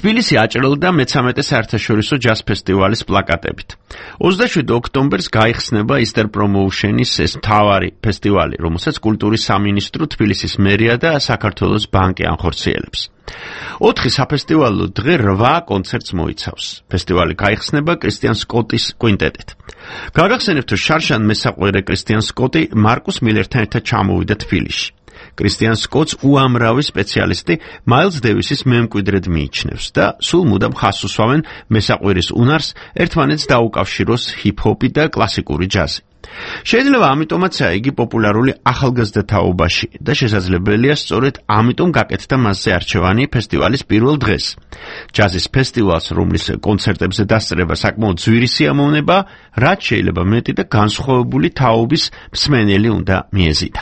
თბილისი აჭრილდა მეთერთმეტე საერთაშორისო ჯაზ ფესტივალის პლაკატებით. ოცდაშვიდი ოქტომბერს გაიხსნება Easter Promotion-ის ეს მთავარი ფესტივალი, რომელსაც კულტურის სამინისტრო, თბილისის მერია და საქართველოს ბანკი ანხორციელებს. ოთხი საფესტივალო დღე რვა კონცერტს მოიცავს. ფესტივალი გაიხსნება კრისტიან სკოტის კვინტეტით. გაგახსენებთ, რომ შარშან მესაყვერე კრისტიან სკოტი მარკუს მილერთან ერთად ჩამოვიდა თბილისში. კრისტიან სკოტს უამრავი სპეციალისტი მაილს დევისის მემკვიდრედ მიიჩნევს და სულ მუდამ ხაზს უსვამენ მესაყვერის უნარს ერთმანეთს დაუკავშიროს ჰიპ-ჰოპი და კლასიკური ჯაზი. შეიძლება ამიტომაცაა იგი პოპულარული ახალგაზრდა თაობაში და შესაძლებელია სწორედ ამიტომ გაკეთდა მასზე არჩევანი ფესტივალის პირველ დღეს. ჯაზის ფესტივალს, რომლის კონცერტებზე დასწრება საკმაოდ ძვირი სიამოვნება, რაც შეიძლება მეტი და განსხვავებული თაობის მსმენელი უნდა მიეზიდა.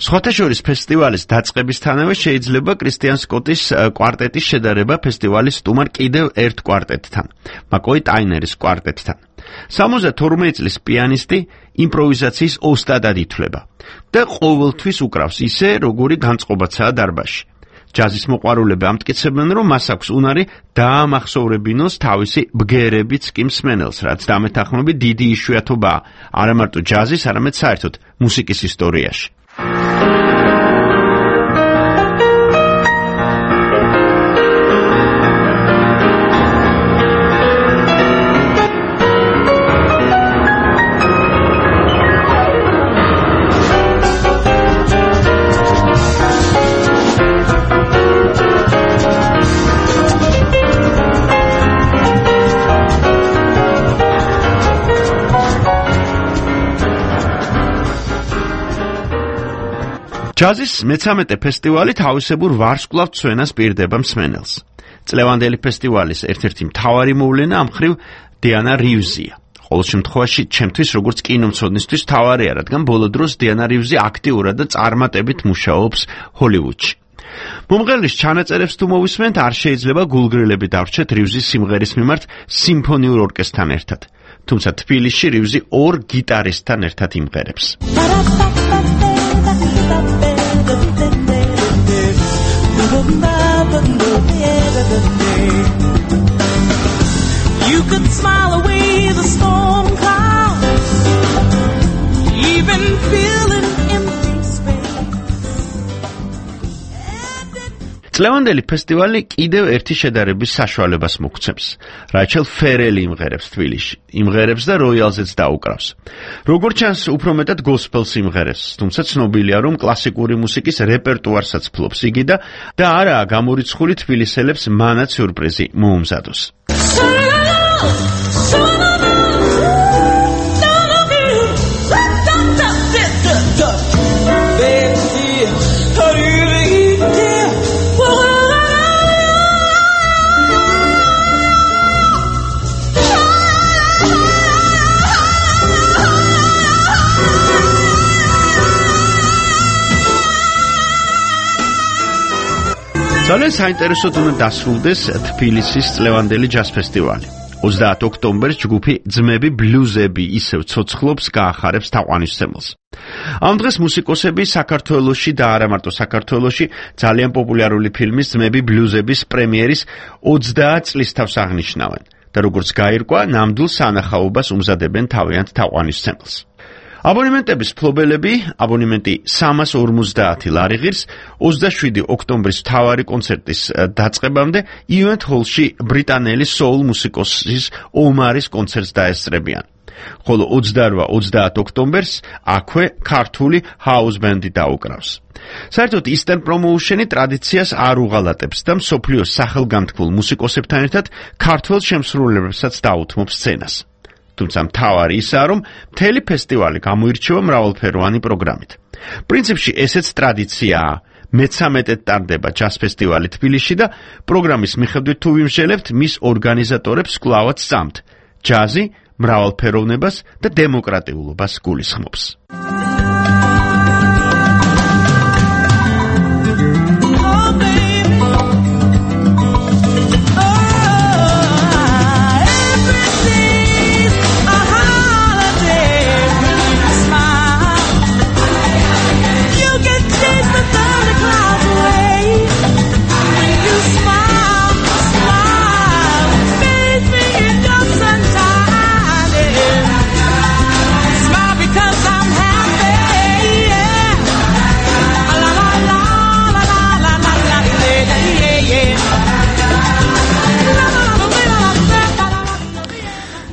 სხვათა შორის ფესტივალის დაწყებისთანავე შეიძლება კრისტიან სკოტის კვარტეტის შედარება ფესტივალის სტუმარ კიდევ ერთ კვარტეტთან, მაკოი ტაინერის კვარტეტთან. სამოცდათორმეტი წლის პიანისტი იმპროვიზაციის ოსტატად ითვლება და ყოველთვის უკრავს ისე, როგორი განწყობაცაა დარბაზში. ჯაზის მოყვარულები ამტკიცებენ, რომ მას აქვს უნარი დაამახსოვრებინოს თავისი ბგერებიც კი მსმენელს, რაც დამეთანხმებით დიდი იშვიათობაა არა მარტო ჯაზის, არამედ საერთოდ მუსიკის ისტორიაში. ჯაზის მეთერთმეტე ფესტივალი თავისებურ ვარსკვლავ ცვენას პირდება მსმენელს. წლევანდელი ფესტივალის ერთ-ერთი მთავარი მოვლენა ამ მხრივ დიანა რივზია. ყოველ შემთხვევაში, ჩემთვის როგორც კინომცოდნისთვის მთავარია, რადგან ბოლო დროს დიანა რივზი აქტიურად და წარმატებით მუშაობს ჰოლივუდში. მომღერლის ჩანაწერებს თუ მოვისმენთ, არ შეიძლება გულგრილები დავრჩეთ რივზის სიმღერის მიმართ სიმფონიურ ორკესტრთან ერთად. თუმცა თბილისში რივზი ორ გიტარისტთან ერთად იმღერებს. You could smile away the storm clouds, even feel an empty space. წლევანდელი ფესტივალი კიდევ ერთი შედარების საშუალებას მოგცემს. რაჩელ ფერელი იმღერებს თბილისში, იმღერებს და როიალზეც დაუკრავს. როგორც ჩანს, უფრო მეტად გოსპელს იმღერებს, თუმცა ცნობილია, რომ კლასიკური მუსიკის რეპერტუარსაც ფლობს იგი და და არაა გამორიცხული თბილისელებს მანაც სიურპრიზი მოუმზადოს. ძალიან საინტერესოდ უნდა დასრულდეს თბილისის წლევანდელი ჯაზ ფესტივალი. ოცდაათი ოქტომბერს ჯგუფი ძმები ბლუზები ისევ ცოცხლობს გაახარებს თაყვანისმცემელს. ამ დღეს მუსიკოსები საქართველოში და არა მარტო საქართველოში ძალიან პოპულარული ფილმის ძმები ბლუზების პრემიერის ოცდაათ წლისთავს აღნიშნავენ და როგორც გაირკვა, ნამდვილ სანახაობას უმზადებენ თავიანთ თაყვანისმცემელს. აბონემენტების ფლობელები აბონემენტი სამას ორმოცდაათი ლარი ღირს ოცდაშვიდი ოქტომბრის მთავარი კონცერტის დაწყებამდე ივენთ ჰოლში ბრიტანელი soul მუსიკოსის ომარის კონცერტს დაესწრებიან. ხოლო ოცდარვა ოცდაათი ოქტომბერს აქვე ქართული house band-ი დაუკრავს. საერთოდ Easter Promotion-ი ტრადიციას არ უღალატებს და მსოფლიოს სახელგანთქმულ მუსიკოსებთან ერთად ქართველ შემსრულებლებსაც დაუთმობს სცენას. თუმცა მთავარი ისაა, რომ მთელი ფესტივალი გამოირჩევა მრავალფეროვანი პროგრამით. პრინციპში ესეც ტრადიციაა. მეცამეტედ ტარდება ჯაზ ფესტივალი თბილისში და პროგრამის მიხედვით თუ ვიმსჯელებთ, მის ორგანიზატორებს კვლავაც სწამთ. ჯაზი მრავალფეროვნებას და დემოკრატიულობას გულისხმობს.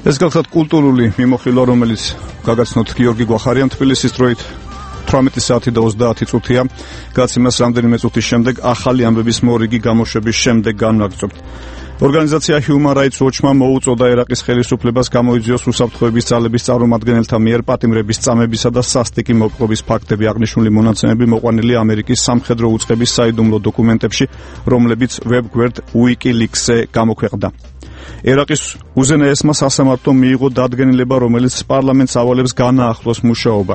ეს გახლავთ კულტურული მიმოხილვა, რომელიც გაგაცნოთ გიორგი გვახარიამ თბილისის დროით თვრამეტი საათი და ოცდაათი წუთია. გაცემას რამდენიმე წუთის შემდეგ ახალი ამბების მორიგი გამოშვების შემდეგ განვაგრძობთ. ორგანიზაცია Human Rights Watch-მა მოუწოდა ერაყის ხელისუფლებას გამოიძიოს უსაფრთხოების ძალების წარმომადგენელთა მიერ პატიმრების წამებისა და სასტიკი მოპყრობის ფაქტები აღნიშნული მონაცემები მოყვანილი ამერიკის სამხედრო უწყების საიდუმლო დოკუმენტებში, რომლებიც ვებ-გვერდ WikiLeaks-ზე გამოქვეყნდა. ერაყის უზენაესმა სასამართლომ მიიღო დადგენილება, რომელიც პარლამენტს ავალებს განაახლოს მუშაობა.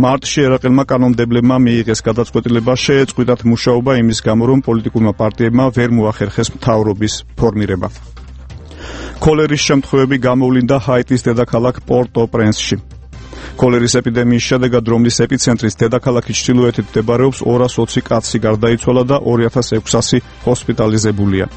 მარტში ერაყელმა კანონმდებლებმა მიიღეს გადაწყვეტილება შეეწყვიტათ მუშაობა იმის გამო, რომ პოლიტიკურმა პარტიებმა ვერ მოახერხეს მთავრობის ფორმირება. კოლერის შემთხვევები გამოვლინდა ჰაიტის დედაქალაქ პორტო-პრენსში. კოლერის ეპიდემიის შედეგად, რომლის ეპიცენტრის დედაქალაქის ჩრდილოეთით მდებარეობს, ორას ოცი კაცი გარდაიცვალა და ორი ათას ექვსასი ჰოსპიტალიზებულია.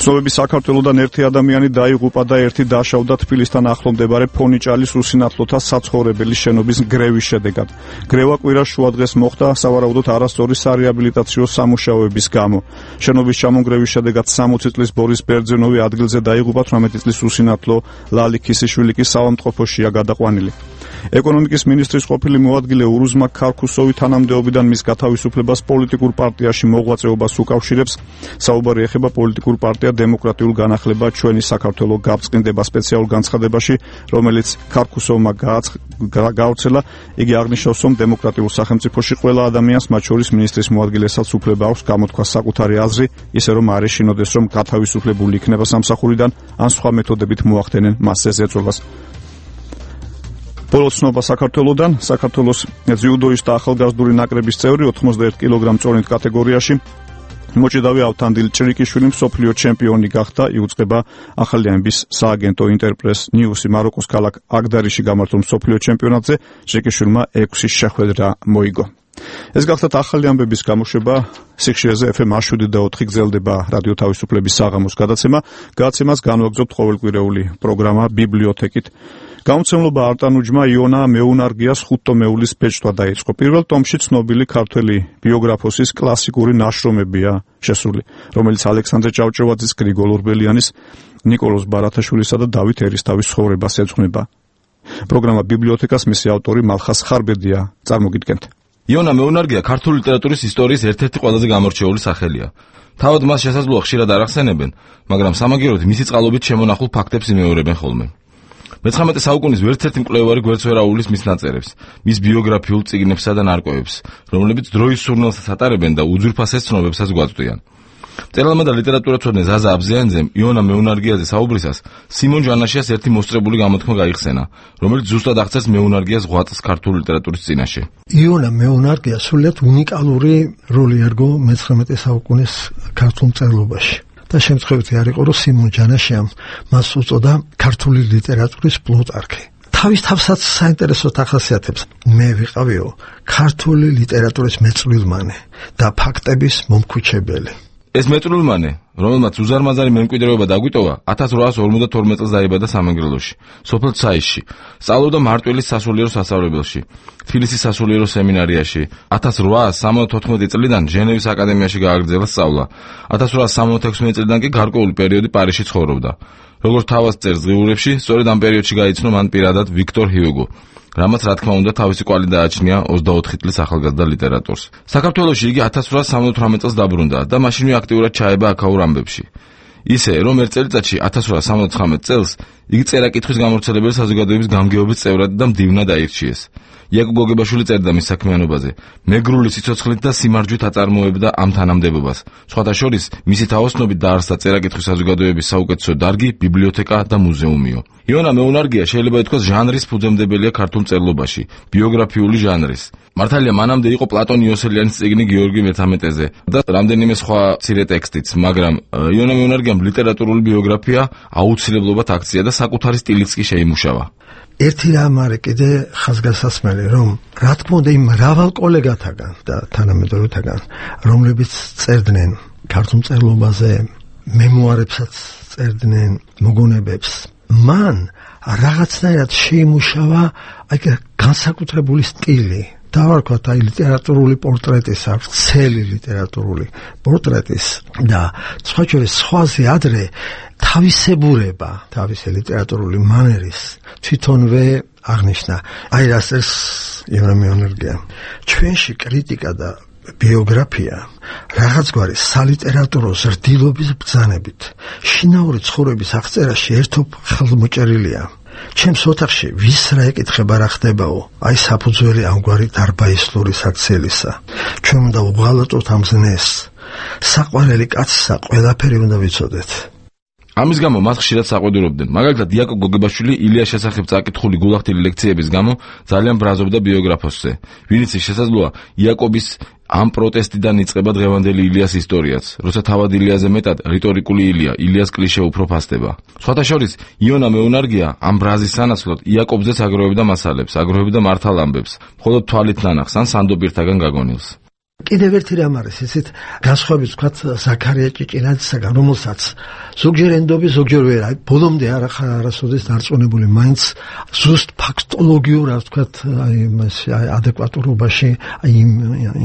ცნობები საქართველოდან ერთი ადამიანი დაიღუპა და ერთი დაშავდა თბილისთან ახლო მდებარე ფონიჭალის უსინათლოთა საცხოვრებელი შენობის გრევის შედეგად. გრევა კვირას შუადღეს მოხდა სავარაუდოდ არასწორი სარეაბილიტაციო სამუშაოების გამო. შენობის ჩამონგრევის შედეგად სამოცი წლის ბორის ბერძენოვი ადგილზე დაიღუპა, თვრამეტი წლის უსინათლო ლალი ქისიშვილი კი საავადმყოფოშია გადაყვანილი. ეკონომიკის მინისტრის ყოფილი მოადგილე ურუზმა ქარქუსოვი თანამდებობიდან მის გათავისუფლებას პოლიტიკურ პარტიაში მოღვაწეობას უკავშირებს. საუბარი ეხება პოლიტიკურ პარტია დემოკრატიულ განახლება ჩვენი საქართველო გაბწყინდება სპეციალურ განცხადებაში, რომელიც ქარქუსოვმა გაავრცელა. იგი აღნიშნავს, რომ დემოკრატიულ სახელმწიფოში ყველა ადამიანს, მათ შორის მინისტრის მოადგილესაც უფლება აქვს გამოთქვა საკუთარი აზრი, ისე რომ არ ეშინოდეს, რომ გათავისუფლებული იქნება სამსახურიდან ან სხვა მეთოდებით მოახდენენ მასზე ზეწოლას. ბოლო ცნობა საქართველოდან. საქართველოს ძიუდოის და ახალგაზრდული ნაკრების წევრი ოთხმოცდაერთი კილოგრამ წონით კატეგორიაში მოჭიდავი ავთანდილ ჭრიკიშვილი მსოფლიო ჩემპიონი გახდა. იუწყება ახალი ამბის სააგენტო ინტერპრეს ნიუსი. მაროკოს ქალაქ აგდარიში გამართულ მსოფლიო ჩემპიონატზე ჭრიკიშვილმა ექვსი შეხვედრა მოიგო. ეს გახლავთ ახალი ამბების გამოშვება. სიხშირეზე ეფ ემ შვიდი და ოთხი გრძელდება რადიო თავისუფლების საღამოს გადაცემა. გადაცემას განვაგრძობთ ყოველკვირეული პროგრამა ბიბლიოთეკით. გამომცემლობა არტანუჯმა იონა მეუნარგიას ხუთტომეულის ბეჭდვა დაიწყო. პირველ ტომში ცნობილი ქართველი ბიოგრაფოსის კლასიკური ნაშრომებია შესული, რომელიც ალექსანდრე ჭავჭავაძის, გრიგოლ ორბელიანის, ნიკოლოზ ბარათაშვილისა და დავით ერისთავის ცხოვრებას ეძღვნება. პროგრამა ბიბლიოთეკას მისი ავტორი მალხას ხარბედია წარმოგიდგენთ. იონა მეუნარგია ქართული ლიტერატურის ისტორიის ერთ-ერთი ყველაზე გამორჩეული სახელია. თავად მას შესაძლოა ხშირად არ ახსენებენ, მაგრამ სამაგიეროდ მისი წყალობით შემონახულ ფაქტებს იმეორებენ ხოლმე. მეცხრამეტე საუკუნის ვერცერთი მკვლევარი გვერდს ვერ აუვლის მის ნაწერებს, მის ბიოგრაფიულ წიგნებსა და ნარკვევებს, რომლებიც დროის სურნელსაც ატარებენ და უძვირფასეს ცნობებსაც გვაწვდიან. მწერალმა და ლიტერატურათმცოდნე ზაზა აბზიანძემ იონა მეუნარგიაზე საუბრისას სიმონ ჯანაშიას ერთი მოსწრებული გამოთქმა გაიხსენა, რომელიც ზუსტად აღწერს მეუნარგიას ღვაწლს ქართული ლიტერატურის წინაშე. იონა მეუნარგია სრულიად უნიკალური როლი ერგო მეცხრამეტე საუკუნის ქართულ მწერლობაში. და შემთხვევითი არ იყო, რომ სიმონ ჯანაშიამ მას უწოდა ქართული ლიტერატურის პლუტარქი. თავის თავსაც საინტერესოდ ახასიათებს. მე ვიყავიო ქართული ლიტერატურის მეწვრილმანე და ფაქტების მომქუჩებელი. ეს მეწვრილმანე, რომელმაც უზარმაზარი მემკვიდრეობა დაგვიტოვა, ათას რვაას ორმოცდათორმეტ წელს დაიბადა სამეგრელოში, სოფელ ცაისში. სწავლობდა მარტვილის სასულიერო სასწავლებელში, თბილისის სასულიერო სემინარიაში. ათას რვაას სამოცდათოთხმეტი წლიდან ჟენევის აკადემიაში გააგრძელა სწავლა. ათას რვაას სამოცდათექვსმეტი წლიდან კი გარკვეული პერიოდი პარიზში ცხოვრობდა. როგორც თავად წერს დღიურებში, სწორედ ამ პერიოდში გაიცნო მან პირადად ვიქტორ ჰიუგო, რამაც რა თქმა უნდა თავისი კვალი დააჩნია ოცდაოთხი წლის ახალგაზრდა ლიტერატორს. საქართველოში იგი ათას რვაას სამოცდათვრამეტ წელს დაბრუნდა და მაშინვე აქტიურად ჩაება აქაურ ამბებში. ისე, რომ ერთ წელიწადში ათას რვაასი სამოცდათხრამეტ წელს იგი წერა-კითხვის გამავრცელებელი საზოგადოების გამგეობის წევრად და მდივნად აირჩიეს. იაკობ გოგებაშვილი წერდა მის საქმიანობაზე. მეგრული სიცოცხლით და სიმარჯვით აწარმოებდა ამ თანამდებობას. სხვათა შორის, მისი თაოსნობით დაარსდა წერა-კითხვის საზოგადოების საუკეთესო დარგი, ბიბლიოთეკა და მუზეუმიო. იონა მეუნარგია შეიძლება ითქვას ჟანრის ფუძემდებელია ქართულ მწერლობაში, ბიოგრაფიული ჟანრის. მართალია მანამდე იყო პლატონ იოსელიანის წიგნი გიორგი მეთამეტეზე და რამდენიმე სხვა მცირე ტექსტიც, მაგრამ იონა მეუნარგიამ ლიტერატურული ბიოგრაფია აუცილებლობად აქცია და საკუთარი სტილიც კი შეიმუშავა. ერთი რამ არის კიდე ხაზგასასმელი, რომ რა თქმა უნდა იმ მრავალ კოლეგათაგან და თანამედროვეთაგან, რომლებიც წერდნენ ქართულ მწერლობაზე, მემუარებსაც წერდნენ, მოგონებებს, მან რაღაცნაირად შეიმუშავა აი განსაკუთრებული სტილი. დავარქვათ აი ლიტერატურული პორტრეტის, აქვს ცელი ლიტერატურული პორტრეტის და სხვა შორის სხვაზე ადრე თავისებურება, თავისი ლიტერატურული მანერის თვითონვე აღნიშნა. აი რასაც იონა მეუნარგია. ჩვენში კრიტიკა და ბიოგრაფია რაღაც გვარი სალიტერატურო ზრდილობის ბრძანებით შინაური ცხოვრების აღწერაში ერთობ ხელმოჭერილია. ჩემს ოთახში ვის რა ეკითხება რა ხდებაო, აი საფუძველი ამგვარი დარბაისლური საქციელისა. ჩვენ უნდა უღალატოთ ამ ზნეს. საყვარელი კაცსა ყველაფერი უნდა ვიცოდეთ. ამის გამო მას ხშირად საყვედურობდნენ. მაგალითად, იაკობ გოგებაშვილი ილიას შესახებ წაკითხული გულახდილი ლექციების გამო ძალიან ბრაზობდა ბიოგრაფოსზე. ვინც შესაძლოა იაკობის ამ პროტესტიდან იწყება დღევანდელი ილიას ისტორიაც, როცა თავად ილიაზე მეტად რიტორიკული ილია, ილიას კლიშე უფრო ფასდება. სხვათა შორის, იონა მეუნარგია ამ ბრაზის სანაცვლოდ იაკობზეც აგროვებდა მასალებს, აგროვებდა მართალ ამბებს, მხოლოდ თვალით ნანახს ან სანდობირთაგან გაგონილს. კიდევ ერთი რამ არის, ისეთ განსხვავებით ვთქვათ ზაქარია ჭიჭინაძისაგან, რომელსაც ზოგჯერ ენდობი, ზოგჯერ ვერ, აი ბოლომდე არ ახლა არასოდეს დარწმუნებული, მაინც ზუსტ ფაქტოლოგიურად ვთქვათ, აი მას ადეკვატურობაში აი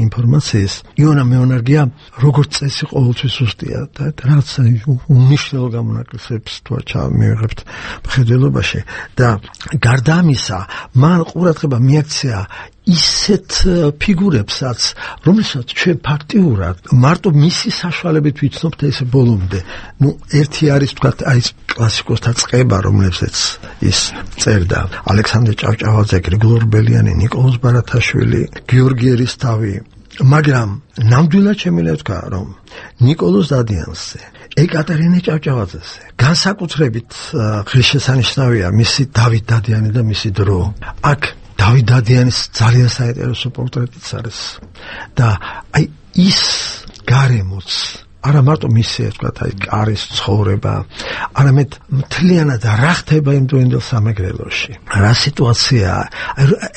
ინფორმაციის. იონა მეუნარგია როგორც წესი ყოველთვის ზუსტია და რაც უნიშნელო გამონაკლისებს თუ ჩამივიღებთ მხედველობაში და გარდა ამისა, მან ყურადღება მიაქცია ისეთ ფიგურებსაც, რომელსაც ჩვენ ფაქტიურად მარტო მისი საშუალებით ვიცნობთ და ესე ბოლომდე. ნუ ერთი არის ვთქვათ, აი ეს კლასიკოსთა წყება, რომლებზეც ის წერდა. ალექსანდრე ჭავჭავაძე, გრიგოლ ორბელიანი, ნიკოლოზ ბარათაშვილი, გიორგი ერისთავი. მაგრამ ნამდვილად შემიძლია ვთქვა, რომ ნიკოლოზ დადიანზე, ეკატერინე ჭავჭავაძეზე განსაკუთრებით ღირსშესანიშნავია მისი დავით დადიანი და მისი დრო. აქ დავით დადიანის ძალიან საინტერესო პორტრეტიც არის და აი ის გარემოც არა მარტო მისი თქვა აი კარის ცხოვრება, არამედ მთლიანად რა ხდება იმ დროინდელ სამეგრელოში, რა სიტუაციაა,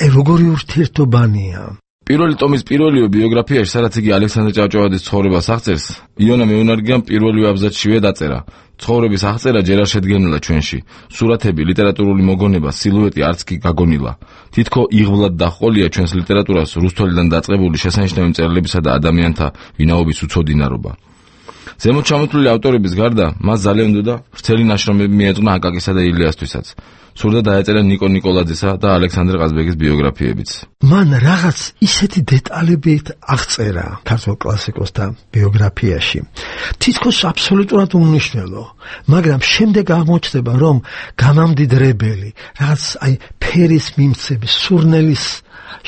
აი როგორი ურთიერთობანია. პირველი ტომის პირველივე ბიოგრაფიაში, სადაც იგი ალექსანდრე ჭავჭავაძის ცხოვრებას აღწერს, იონა მეუნარგიამ პირველივე აბზაცშივე დაწერა: ცხოვრების აღწერა ჯერ არ შედგენილა ჩვენში. სურათები, ლიტერატურული მოგონება, სილუეტი არც კი გაგონილა. თითქო იღბლად დაჰყოლია ჩვენს ლიტერატურას რუსთველიდან დაწყებული შესანიშნავი მწერლებისა და ადამიანთა ვინაობის უცოდინარობა. ზემოთ ჩამოთვლილი ავტორების გარდა, მას ძალიან უნდა ვრცელი ნაშრომები მიეძღვნა აკაკისა და ილიასთვისაც. სურდა დაეწერა ნიკო ნიკოლაძესა და ალექსანდრე ყაზბეგის ბიოგრაფიებიც. მან რაღაც ისეთი დეტალებით აღწერა ქართულ კლასიკოსთა ბიოგრაფიაში. თითქოს აბსოლუტურად უმნიშვნელო, მაგრამ შემდეგ აღმოჩნდება, რომ გამამდიდრებელი, რაღაც აი ფერის მიმცები, სურნელის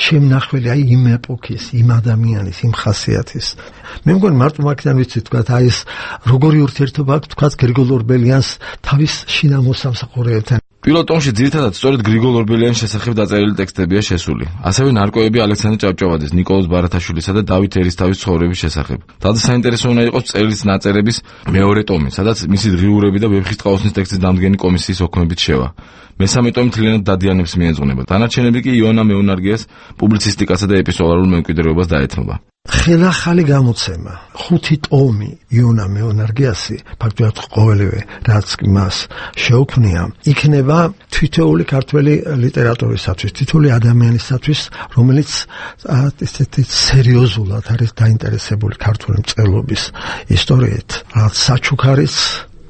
შემნახველი აი იმ ეპოქის, იმ ადამიანის, იმ ხასიათის. მე მგონი მარტო მაგიდან ვიცი თქვათ, აი ეს როგორი ურთიერთობა აქვს თქვათ გრიგოლ ორბელიანს თავის შინა მოსამსახურეებთან. პირველ ტომში ძირითადად სწორედ გრიგოლ ორბელიანის შესახებ დაწერილი ტექსტებია შესული. ასევე ნარკვევები ალექსანდრე ჭავჭავაძის, ნიკოლოზ ბარათაშვილისა და დავით ერისთავის ცხოვრების შესახებ. თალზე საინტერესო უნდა იყოს წერილს ნაწერების მეორე ტომი, სადაც მისი დღიურები და ვეფხისტყაოსნის ტექსტის დამდგენი კომისიის ოქმებით შევა. მესამე ტომი მთლიანად დადიანებს მიეძღვნება. დანარჩენები კი იონა მეუნარგიას პუბლიცისტიკასა და ეპისტოლარულ მემკვიდრეობას დაეთმობა. ხელახალი გამოცემა, ხუთი ტომი იონა მეუნარგიასი, ფაქტობრივად ყოველივე რაც მას შეუქმნია, იქნება თითოეული ქართველი ლიტერატურისათვის, თითოეული ადამიანისათვის, რომელიც ესეთი სერიოზულად არის დაინტერესებული ქართული მწერლობის ისტორიით, რაც საჩუქარის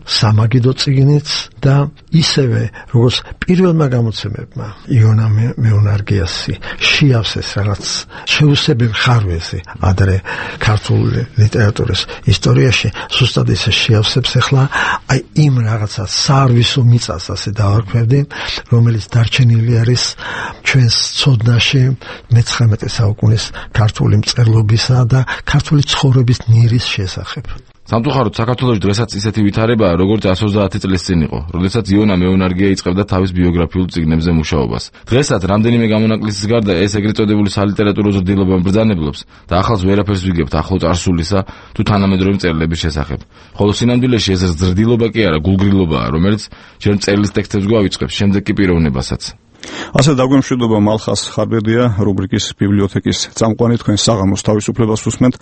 სამაგიდო წიგნიც და ისევე როგორც პირველმა გამოცემებმა იონა მეუნარგიასი შეავსეს რაღაც შეუსებელ ხარვეზე ადრე ქართულ ლიტერატურის ისტორიაში ზუსტად ისე შეავსებს ახლა აი იმ რაღაცა სარვისო მიწას ასე დავარქმევდი რომელიც დარჩენილი არის ჩვენს ცოდნაში მეცხრამეტე საუკუნის ქართული მწერლობისა და ქართული ცხოვრების ნირის შესახებ. სამწუხაროდ საქართველოში დღესაც ისეთი ვითარებაა, როგორც ოცდაათი წლის წინ იყო, როდესაც იონა მეუნარგია იწყებდა თავის ბიოგრაფიულ წიგნებზე მუშაობას. დღესაც რამდენიმე გამონაკლისის გარდა ეს ეგრეთ წოდებული სალიტერატურო ზრდილობა ბრძანებლობს და ახალს ვერაფერს ვიგებთ ახლო წარსულისა თუ თანამედროვე მწერლების შესახებ. ხოლო სინამდვილეში ეს ზრდილობა კი არა, გულგრილობაა, რომელიც ჯერ მწერლის ტექსტებს გვავიწყებს, შემდეგ კი პიროვნებასაც. ასე დაგვემშვიდობა მალხას ხარბერდია რუბრიკის ბიბლიოთეკის წამყვანი თქვენ საღამოს თავისუფლებას უსმენთ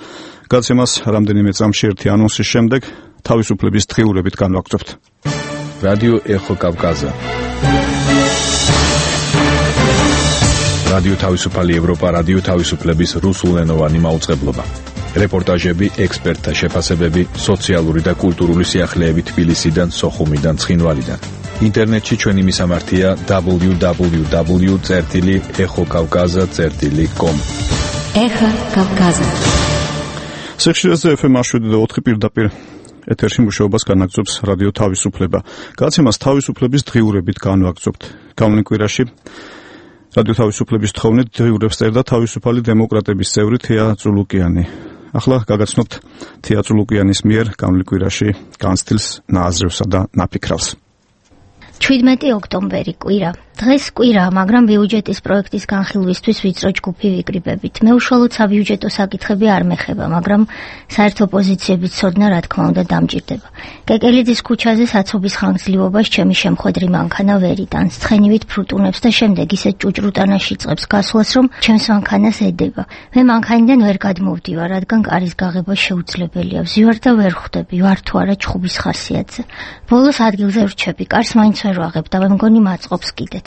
გაცემას რამდენიმე წამში ერთი ანონსის შემდეგ თავისუფლების დღიურებით განვაგრძობთ რადიო ეხო კავკაზა რადიო თავისუფალი ევროპა რადიო თავისუფლების რუსულენოვანი მაუწყებლობა რეპორტაჟები ექსპერტთა შეფასებები სოციალური და კულტურული სიახლეები თბილისიდან სოხუმიდან ცხინვალიდან ინტერნეტში ჩვენი მისამართია დაბლიუ დაბლიუ დაბლიუ წერტილი ეხო კავკაზა წერტილი კომ ეხო კავკაზა სექციაზე ეფ ემ შვიდი და ოთხი პირდაპირ ეთერში მუშაობას განაგრძობს რადიო თავისუფლება. გაცემას თავისუფლების დღიურებით განვაგრძობთ. გავლენ კვირაში რადიო თავისუფლების თხოვნით დღიურებს წერდა თავისუფალი დემოკრატების წევრი თეა წულუკიანი. ახლა გაგაცნობთ თეა წულუკიანის მიერ გავლენ კვირაში განცდილს ნააზრევსა და ნაფიქრავს. შვიდმეტი ოქტომბერი კვირა. დღეს კვირაა, მაგრამ ბიუჯეტის პროექტის განხილვისთვის ვიწრო ჯგუფი ვიკრიბებით. მე უშუალოდ საბიუჯეტო საკითხები არ მეხება, მაგრამ საერთო პოზიციების ცოდნა რა თქმა უნდა დამჭირდება. კეკელიძის ქუჩაზე საცობის ხანგრძლივობას ჩემი შემხვედრი მანქანა ვერ იტანს. ცხენივით ფრუტუნებს და შემდეგ ისეთ ჭუჭრუტანაში წებს გასვლას, რომ ჩემს მანქანას ედება. მე მანქანიდან ვერ გადმოვდივარ, რადგან კარის გაღება შეუძლებელია. ვზივარ და ვერ ხვდები, ვარ თუ არა ჩხუბის ხასიათზე. ბოლოს ადგილზე ვრჩები, კარს მაინც ვერ ვაღებ და მე მგონი მაწყობს კიდეც.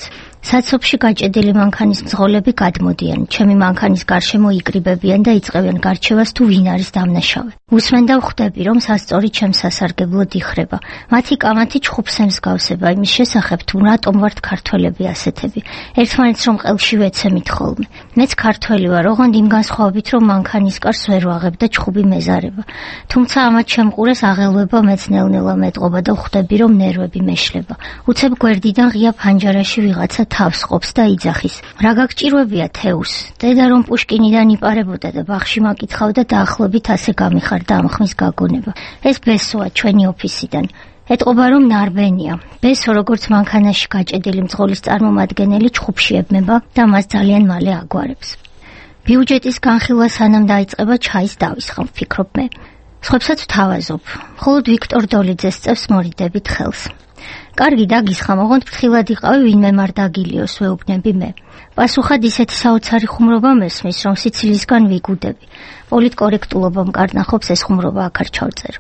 საცობში გაჭედილი მანქანის მძღოლები გადმოდიან, ჩემი მანქანის გარშემო იკრიბებიან და იწყებენ გარჩევას თუ ვინ არის დამნაშავე. უსმენ და ვხვდები, რომ სასწორი ჩემს სასარგებლოდ იხრება. მათი კამათი ჩხუბს ემსგავსება იმის შესახებ, თუ რატომ ვართ ქართველები ასეთები. ერთმანეთს რომ ყელში ვეცემით ხოლმე. მეც ქართველი ვარ, ოღონდ იმ განსხვავებით, რომ მანქანის კარს ვერ ვაღებ და ჩხუბი მეზარება. თუმცა ამათ შემყურეს აღელვება მეც ნელ-ნელა მეტყობა და ვხვდები, რომ ნერვები მეშლება. უცებ გვერდიდან ღია ფანჯარაში ვიღაცა თავს ყოფს და იძახის. რა გაგჭირვებია თეუს? დედა რომ პუშკინიდან იპარებოდა და ბაღში მაკითხავდა დაახლოებით ასე გამიხარდა ამ ხმის გაგონება. ეს ბესოა ჩვენი ოფისიდან. ეტყობა რომ ნარბენია. ბესო როგორც მანქანაში გაჭედილი მძღოლის წარმომადგენელი ჩხუბში ებმება და მას ძალიან მალე აგვარებს. ბიუჯეტის განხილვა სანამ დაიწყება ჩაის დავისხამ, ფიქრობ მე. სხვებსაც ვთავაზობ. მხოლოდ ვიქტორ დოლიძეს წევს მორიდებით ხელს. კარგი დაგისხამ, ოღონდ ფრთხილად იყავი ვინმე მარ დაგილიოს, ვეუბნები მე. პასუხად ისეთი საოცარი ხუმრობა მესმის, რომ სიცილისგან ვიგუდები. პოლიტკორექტულობა მკარნახობს ეს ხუმრობა აქ არ ჩავწერო.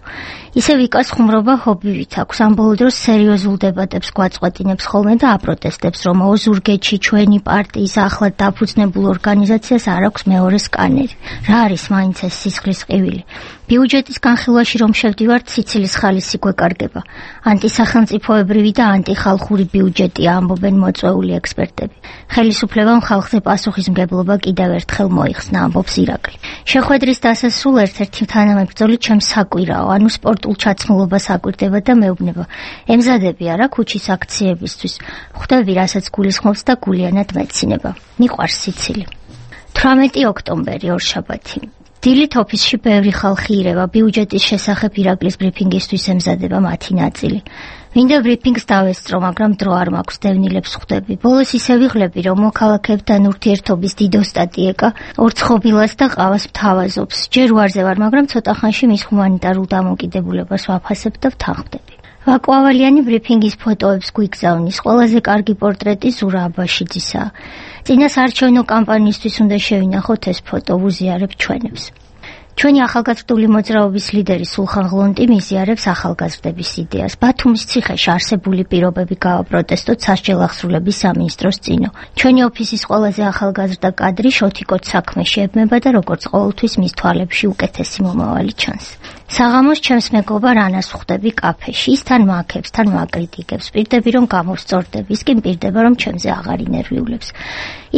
ისე ვიკას ხუმრობა ჰობივით აქვს, ამ ბოლო დროს სერიოზულ დებატებს გვაწყვეტინებს ხოლმე და აპროტესტებს, რომ ოზურგეთში ჩვენი პარტიის ახლად დაფუძნებულ ორგანიზაციას არ აქვს მეორე სკანერი. რა არის მაინც ეს სისხლის ყივილი? ბიუჯეტის განხილვაში რომ შევდივართ, სიცილის ხალისი გვეკარგება. ანტისახელმწიფოებრივი და ანტიხალხური ბიუჯეტია, ამბობენ მოწვეული ექსპერტები. ხელისუფლებამ ხალხზე პასუხისმგებლობა კიდევ ერთხელ მოიხსნა, ამბობს ირაკლი. შეხვედრის დასასრულ ერთ-ერთი თანამებრძოლი ჩემს საკვირაო, ანუ სპორტულ ჩაცმულობას აკვირდება და მეუბნება. ემზადები არა ქუჩის აქციებისთვის. ხვდები, რასაც გულისხმობს და გულიანად მეცინება. მიყვარს სიცილი. თვრამეტი ოქტომბერი ორშაბათი. დილით ოფისში ბევრი ხალხი ირევა, ბიუჯეტის შესახებ ირაკლის ბრიფინგისთვის ემზადება მათი ნაწილი. მინდა ბრიფინგს დავესწრო, მაგრამ დრო არ მაქვს, დევნილებს ხვდები. ბოლოს ისე ვიღლები, რომ მოქალაქეებთან ურთიერთობის დიდო სტატიეკა ორცხობილას და ყავას მთავაზობს. ჯერ ვარზე ვარ, მაგრამ ცოტა ხანში მის ჰუმანიტარულ დამოკიდებულებას ვაფასებ და ვთანხმდები. ვაკვალიანი ბრიფინგის ფოტოებს გვიგზავნის. ყველაზე კარგი პორტრეტი ზურა აბაშიძისაა. წინა საარჩევნო კამპანიისთვის უნდა შევინახოთ ეს ფოტო, ვუზიარებ ჩვენებს. ჩვენი ახალგაზრდული მოძრაობის ლიდერი სულხან ღლონტი მიზიარებს ახალგაზრდების იდეას. ბათუმის ციხეში არსებული პირობები გავაპროტესტოთ სასჯელ აღსრულების სამინისტროს წინო. ჩვენი ოფისის ყველაზე ახალგაზრდა კადრი შოთიკოც საქმეში ებმება და როგორც ყოველთვის მის თვალებში უკეთესი მომავალი ჩანს. საღამოს ჩემს მეგობარ ანას ხვდები კაფეში. ის თან მააქებს, თან მაკრიტიკებს. პირდები რომ გამოვსწორდები, ის კი მპირდება რომ ჩემზე აღარ ინერვიულებს.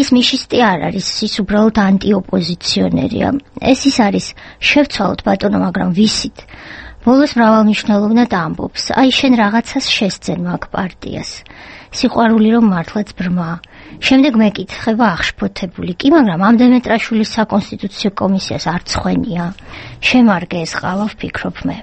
ის მიშისტი არ არის, ის უბრალოდ ანტიოპოზიციონერია. ეს ის არის, შევცვალოთ ბატონო, მაგრამ ვისით? ბოლოს მრავალმნიშვნელოვნად ამბობს. აი შენ რაღაცას შესძენ მაგ პარტიას. სიყვარული რომ მართლაც ბრმა. შემდეგ მეკითხება აღშფოთებული. კი, მაგრამ ამ დემეტრაშვილის საკონსტიტუციო კომისიას არ ცხვენია. შემარგე ეს ყავა, ვფიქრობ მე.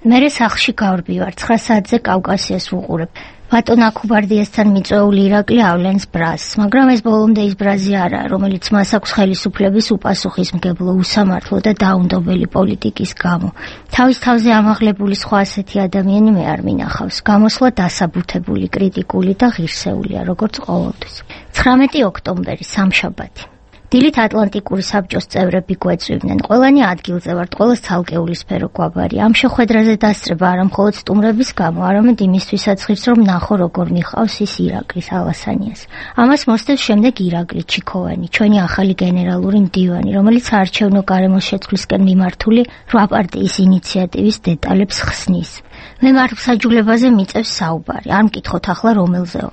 მერე სახლში გავრბივარ, ცხრა საათზე კავკასიას ვუყურებ. ბატონ აქუბარდიასთან მიწვეული ირაკლი ავლენს ბრაზს, მაგრამ ეს ბოლომდე ის ბრაზი არაა, რომელიც მას აქვს ხელისუფლების უპასუხისმგებლო, უსამართლო და დაუნდობელი პოლიტიკის გამო. თავის თავზე ამაღლებული სხვა ასეთი ადამიანი მე არ მინახავს. გამოსვლა დასაბუთებული, კრიტიკული და ღირსეულია, როგორც ყოველთვის. ცხრამეტი ოქტომბერი, სამშაბათი. დილით ატლანტიკური საბჭოს წევრები გვეწვივნენ. ყველანი ადგილზე ვართ, ყველას ცალკეული სფერო გვაბარი. ამ შეხვედრაზე დასწრება არა მხოლოდ სტუმრების გამო, არამედ იმისთვისაც ღირს, რომ ნახო როგორ მიყავს ის ირაკლის ალასანიას. ამას მოსდევს შემდეგ ირაკლი ჩიქოვანი, ჩვენი ახალი გენერალური მდივანი, რომელიც საარჩევნო გარემოს შეცვლისკენ მიმართული რვა პარტიის ინიციატივის დეტალებს ხსნის. მე მართლმსაჯულებაზე მიწევს საუბარი, არ მკითხოთ ახლა რომელზეო.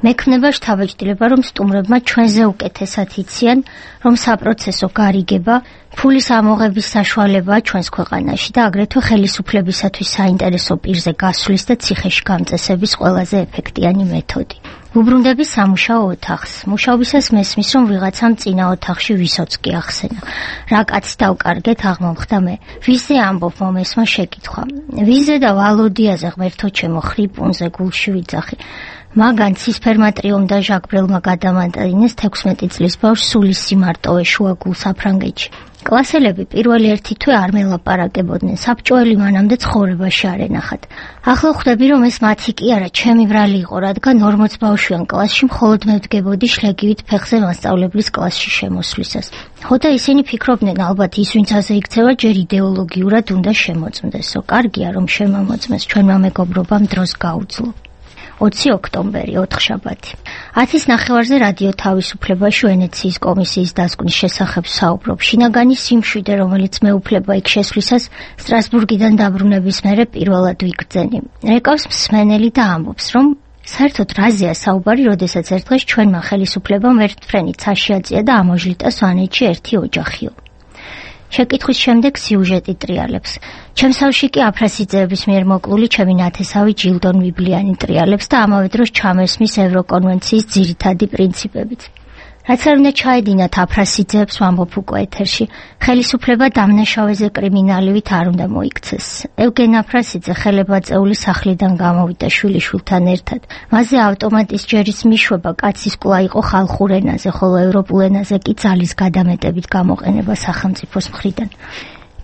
მექმნება შთაბეჭდილება, რომ სტუმრებმა ჩვენზე უკეთესად იციან, რომ საპროცესო გარიგება, ფულის ამოღების საშუალებაა ჩვენს ქვეყანაში და აგრეთვე ხელისუფლებისათვის საინტერესო პირზე გასვლის და ციხეში გამწესების ყველაზე ეფექტიანი მეთოდი. უბრუნდები სამუშაო ოთახს. მუშაობისას მესმის, რომ ვიღაცამ წინა ოთახში ვისოცკი ახსენა. რა კაცს დავკარგეთ, აღმოხდა მე. ვიზე ამბობ მომესმა შეკითხვა. ვიზე და ვალოდიაზე ღმერთო ჩემო ხრიპუნზე გულში ვიძახი. მაგან ცისფერმატრიომ და ჟაკბრელმა გადამატინეს თექვსმეტი წლის ბავშვს სულის სიმარტოვე შუაგულ საფრანგეთში. კლასელები პირველი ერთი თვე არ მელაპარაკებოდნენ, საბჭოელი მანამდე ცხოვრებაში არ ენახათ. ახლა ხვდები, რომ ეს მათი კი არა, ჩემი ბრალი იყო, რადგან ორმოც ბავშვიან კლასში მხოლოდ მე ვდგებოდი შლეგივით ფეხზე მასწავლებლის კლასში შემოსვლისას. ხო და ისინი ფიქრობდნენ, ალბათ ის ვინც ასე იქცევა, ჯერ იდეოლოგიურად უნდა შემოწმდესო. კარგია რომ შემამოწმეს, ჩვენმა მეგობრობამ დროს გაუძლო. ოცი ოქტომბერი, ოთხშაბათი. ათის ნახევარზე რადიო თავისუფლებაში ვენეციის კომისიის დასკვნის შესახებ საუბრობ. შინაგანი სიმშვიდე, რომელიც მეუფლება იქ შესვლისას, სტრასბურგიდან დაბრუნების მერე პირველად ვიგრძენი. რეკავს მსმენელი და ამბობს, რომ საერთოდ რაზეა საუბარი, როდესაც ერთხელ ჩვენმა ხელისუფლებამ ერთფრენით საშიაწია და ამოჟლიტა სვანეთში ერთი ოჯახიო. შეკითხვის შემდეგ სიუჟეტი ტრიალებს. ჩემსავში კი აფრასიძეების მიერ მოკლული ჩემი ნათესავი ჯილდონ ვიბლიანი ტრიალებს და ამავე დროს ჩამესმის ევროკონვენციის ძირითადი პრინციპებით. რაც არ უნდა ჩაედინათ აფრასიძეებს, ვამბობ უკვე ეთერში, ხელისუფლება დამნაშავეზე კრიმინალივით არ უნდა მოიქცეს. ევგენ აფრასიძე ხელებაწეული სახლიდან გამოვიდა შვილიშვილთან ერთად. მასზე ავტომატის ჯერის მიშვება კაცის კვლავ იყო ხალხურ ენაზე, ხოლო ევროპულ ენაზე კი ძალის გადამეტებით გამოყენება სახელმწიფოს მხრიდან.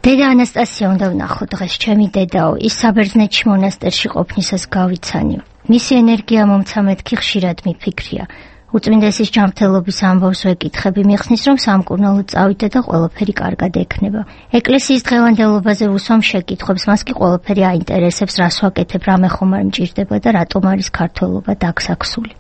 დედა ანასტასია უნდა ვნახო დღეს, ჩემი დედაო, ის საბერძნეთში მონასტერში ყოფნისას გავიცანიო. მისი ენერგია მომცა მეთქი ხშირად მიფიქრია. უწმინდესის ჯანმრთელობის ამბავს ვეკითხები, მიხსნის, რომ სამკურნალოდ წავიდე და ყველაფერი კარგად ექნება. ეკლესიის დღევანდელობაზე უსვამ შეკითხვებს, მას კი ყველაფერი აინტერესებს, რას ვაკეთებ, რა მე ხომ არ მჭირდება და რატომ არის ქართველობა დაგსაქსული.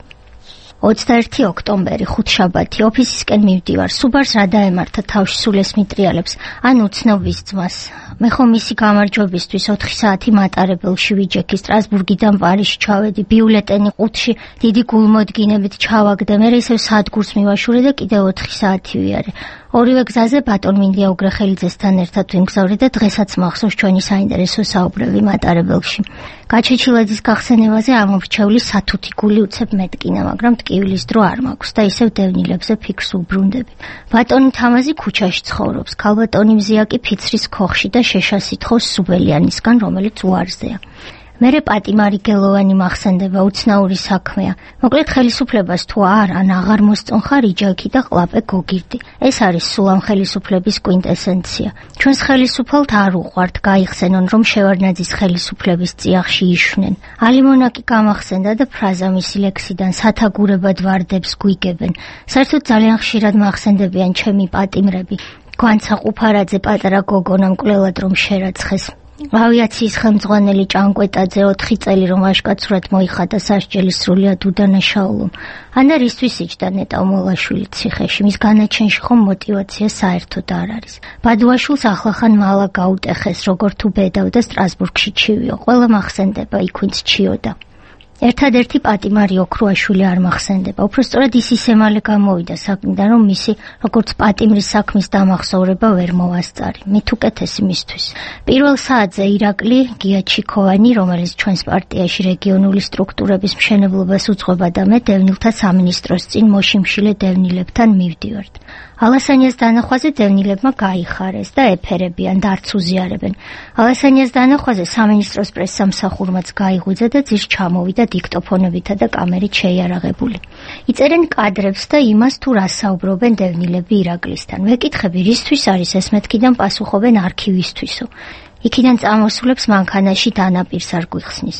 ოცდაერთი ოქტომბერი, ხუთშაბათი, ოფისისკენ მივდივარ. სუბარს რა დაემართა თავში სულეს მიტრიალებს, ან უცნობის ძმას. მე ხომ მისი გამარჯვებისთვის ოთხი საათი მატარებელში ვიჯექი, სტრასბურგიდან პარიზში ჩავედი, ბიულეტენი ყუთში დიდი გულმოდგინებით ჩავაგდე, მერე ისევ სადგურს მივაშურე და კიდევ ოთხი საათი ვიარე. ორივე გზაზე ბატონ მინდია უგრეხელიძესთან ერთად ვიმგზავრე და დღესაც მახსოვს ჩვენი საინტერესო საუბრები მატარებელში. გაჩეჩილაძის გახსენებაზე ამორჩეული სათუთი გული უცებ მეტკინა, მაგრამ ტკივილის დრო არ მაქვს და ისევ დევნილებზე ფიქრს უბრუნდები. ბატონი თამაზი ქუჩაში ცხოვრობს, ქალბატონი მზია კი ფიცრის ქოხში და შეშას ითხოვს სუბელიანისგან, რომელიც უარზეა. მერე პატიმარი გელოვანი მახსენდება, უცნაური საქმეა. მოკლედ ხელისუფლებას თუ არ ან აღარ მოსწონხარ იჯაքի და ყლაპე გოგირდი. ეს არის სულ ამ ხელისუფლების კვინტესენცია. ჩვენს ხელისუფალთ არ უყვართ გაიხსენონ, რომ შევარდნაძის ხელისუფლების წიაღში იშვნენ. ალიმონაკი გამახსენდა და ფრაზა მისი ლექსიდან სათაგურებად ვარდებს გვიგებენ. საერთოდ ძალიან ხშირად მახსენდებიან ჩემი პატიმრები. გვანცა ყუფარაძე პატარა გოგონამ კვლელად რომ შერაცხეს. ავიაციის ხელმძღვანელი ჭანკვეტაძე ოთხი წელი რომ ვაჟკაცურად მოიხადა სასჯელი სრულიად უდანაშაულომ. ანა რისთვის იჯდა ნეტა უმოლაშვილი ციხეში? მის განაჩენში ხომ მოტივაცია საერთოდ არ არის. ბადუაშვილს ახლახან მალა გაუტეხეს, როგორ თუ ბედავდა სტრასბურგში ჩივიო. ყველა მახსენდება, იქ ვინც ჩიოდა. ერთადერთი პატიმარი ოქრუაშვილი არ მახსენდება. უпростоრად ის ისე მალე გამოვიდა საქმიდან, რომ მისი როგორც პატიმრის საქმის დამახსოვრება ვერ მოვასწარი. მით უკეთესი მისთვის. პირველ საათზე ირაკლი გიაჩიქოვანი, რომელიც ჩვენს პარტიაში რეგიონული სტრუქტურების მშენებლობას უძღვება და მე დევნილთა სამინისტროს წინ მოშიმშილე დევნილებთან მივდივართ. ალასანიას დანახვაზე დევნილებმა გაიხარეს და ეფერებიან და არც უზიარებენ. ალასანიას დანახვაზე სამინისტროს პრესსამსახურმაც გაიღვიძა და ძირს ჩამოვიდა დიქტოფონებითა და კამერით შეიარაღებული. იწერენ კადრებს და იმას თუ რას საუბრობენ დევნილები ირაკლისთან. ვეკითხები, რისთვის არის ეს, მეთქიდან პასუხობენ არქივისტვისო. იქიდან წამოსულებს მანქანაში დანაპირს არ გვიხსნის.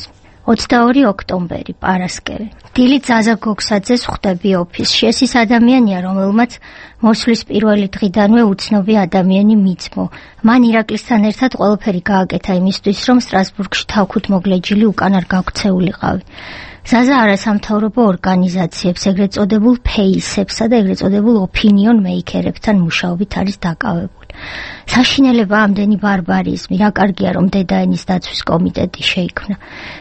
ოცდაორი ოქტომბერი, პარასკევი. დილი ზაზა გოგსაძეს ხვდები ოფისში. ეს ის ადამიანია, რომელმაც მოსვლის პირველი დღიდანვე უცნობი ადამიანი მიძმო. მან ირაკლისთან ერთად ყველაფერი გააკეთა იმისთვის, რომ სტრასბურგში თავქუთ მოგლეჯილი უკან არ გაქცეულიყავი. ზაზა არასამთავრობო ორგანიზაციებს, ეგრეთ წოდებულ ფეისებსა და ეგრეთ წოდებულ ოპინიონ მეიკერებთან მუშაობით არის დაკავებული. საშინელება ამდენი ბარბარიზმი, რა კარგია რომ დედაენის დაცვის კომიტეტი შეიქმნა.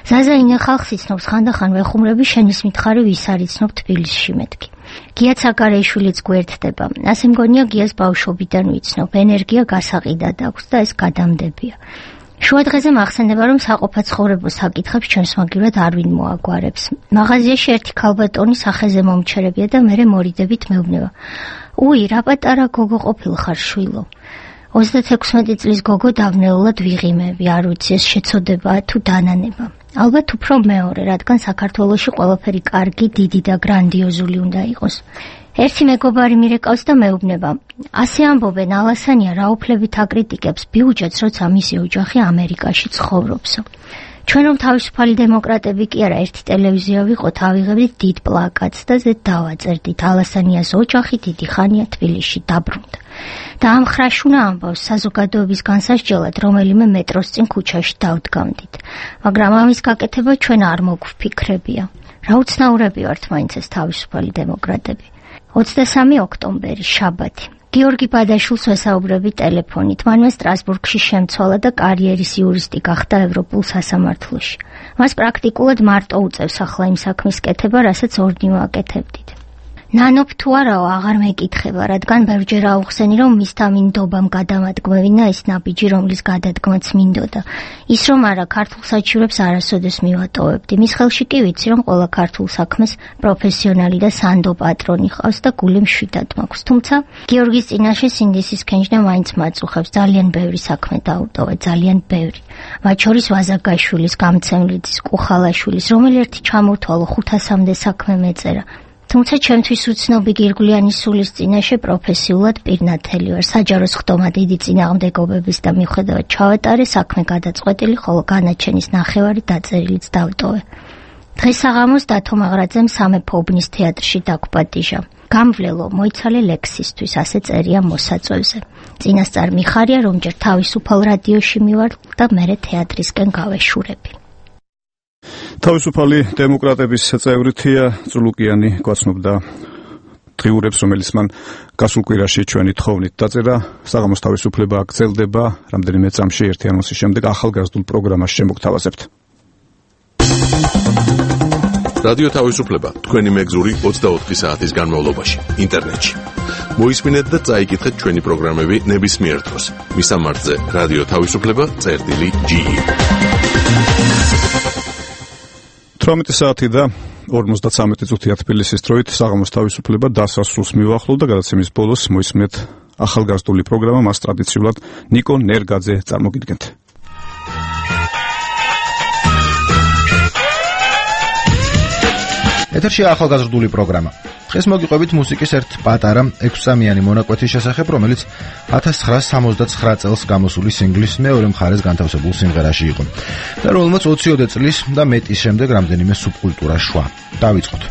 ზაზა ინე ხალხს იცნობს, ხანდახან ვეხუმრები შენის მითხარი ვის არ იცნობ თბილისში მეთქი. გია ცაგარეიშვილიც გვერდდება. ასე მგონია გიას ბავშვობიდან ვიცნობ, ენერგია გასაყიდად აქვს და ეს გადამდებია. შუადღეზე მახსენდება, რომ საყოფაცხოვრებო საკითხებს ჩვენს მაგივრად არ ვინ მოაგვარებს. მაღაზიაში ერთი ქალბატონი სახეზე მომჩერებია და მერე მორიდებით მეუბნება. უი, რა პატარა გოგო ყოფილ ხარ შვილო. ოცდათექვსმეტი წლის გოგო დავნეულად ვიღიმები, არ ვიცი ეს შეცოდებაა თუ დანანება. ალბათ უფრო მეორე, რადგან საქართველოში ყველაფერი კარგი, დიდი და გრანდიოზული უნდა იყოს. ერთი მეგობარი მირეკავს და მეუბნება. ასე ამბობენ, ალასანია რა უფლებით აკრიტიკებს ბიუჯეტს, როცა მისი ოჯახი ამერიკაში ცხოვრობსო. ჩვენ რომ თავისუფალი დემოკრატები კი არა, ერთი ტელევიზია ვიყოთ, ავიღებდით დიდ პლაკატს და ზედ დავაწერდით. ალასანიას ოჯახი დიდი ხანია თბილისში დაბრუნდა. და ამ ხრაშუნა ამბავს საზოგადოების განსასჯელად რომელიმე მეტროს წინ ქუჩაში დავდგამდით. მაგრამ ამის გაკეთება ჩვენ არ მოგვფიქრებია. რა უცნაურები ვართ მაინც ეს თავისუფალი დემოკრატები. ოცდასამი ოქტომბერი, შაბათი. გიორგი ბადაშვილს ვესაუბრები ტელეფონით. მანვე სტრასბურგში შემცვალა და კარიერის იურისტი გახდა ევროპულ სასამართლოში. მას პრაქტიკულად მარტო უწევს ახლა იმ საქმის კეთება, რასაც ორდნი ვაკეთებდით. ნანოფ თუ არაო, აღარ მეკითხება, რადგან ბევრჯერ აუხსენი, რომ მისთა მინდობამ გადამადგმევინა ის ნაბიჯი, რომლის გადადგმაც მინდოდა. ის რომ არა, ქართულ საჩივრებს არასოდეს მივატოვებდი. მის ხელში კი ვიცი, რომ ყველა ქართულ საქმეს პროფესიონალი და სანდო პატრონი ყავს და გული მშვიდად მაქვს. თუმცა გიორგის წინაშე სინდისის ქენჯნა მაინც მაწუხებს. ძალიან ბევრი საქმე დაუტოვე, ძალიან ბევრი. მათ შორის ვაზაგაშვილის, გამცემლიძის, კუხალაშვილის, რომელი ერთი ჩამოვთვალო ხუთასამდე საქმე მეწერა. თუმცა ჩემთვის უცნობი გირგვლიანის სულის წინაშე პროფესიულად პირნათელი ვარ. საჯაროს ხდომა დიდი წინააღმდეგობების და მიუხედავად ჩავატარე, საქმე გადაწყვეტილი, ხოლო განაჩენის ნახევარი დაწერილიც დავტოვე. დღეს საღამოს დათო მაღრაძემ სამეფო უბნის თეატრში დაგვპატიჟა. გამვლელო, მოიცალე ლექსისთვის, ასე წერია მოსაწვევზე. წინასწარ მიხარია, რომ ჯერ თავისუფალ რადიოში მივარ და მერე თეატრისკენ გავეშურები. თავისუფალი დემოკრატების წევრი თია წულუკიანი გვაცნობდა დღიურებს, რომელიც მან გასულ კვირაში ჩვენი თხოვნით დაწერა. საღამოს თავისუფლება გრძელდება, რამდენიმე წამში ერთი ანონსის შემდეგ ახალგაზრდულ პროგრამას შემოგთავაზებთ. რადიო თავისუფლება თქვენი მეგზური ოცდაოთხი საათის განმავლობაში ინტერნეტში. მოისმინეთ და წაიკითხეთ ჩვენი პროგრამები ნებისმიერ დროს. მისამართზე რადიო თავისუფლება წერტილი ჯი. თვრამეტი საათი და ორმოცდათრამეტი წუთია თბილისის დროით. საღამოს თავისუფლება დასასრულს მივახლოვ და გადაცემის ბოლოს მოისმენთ ახალგაზრდული პროგრამა, მას ტრადიციულად ნიკო ნერგაძე წარმოგიდგენთ. ეთერშია ახალგაზრდული პროგრამა. დღეს მოგიყვებით მუსიკის ერთ პატარა ექვსსამიანი მონაკვეთის შესახებ, რომელიც ათას ცხრაასი სამოცდაცხრა წელს გამოსული სინგლის მეორე მხარეს განთავსებულ სიმღერაში იყო და რომელმაც ოციოდე წლის და მეტის შემდეგ რამდენიმე სუბკულტურა შვა. დავიწყოთ.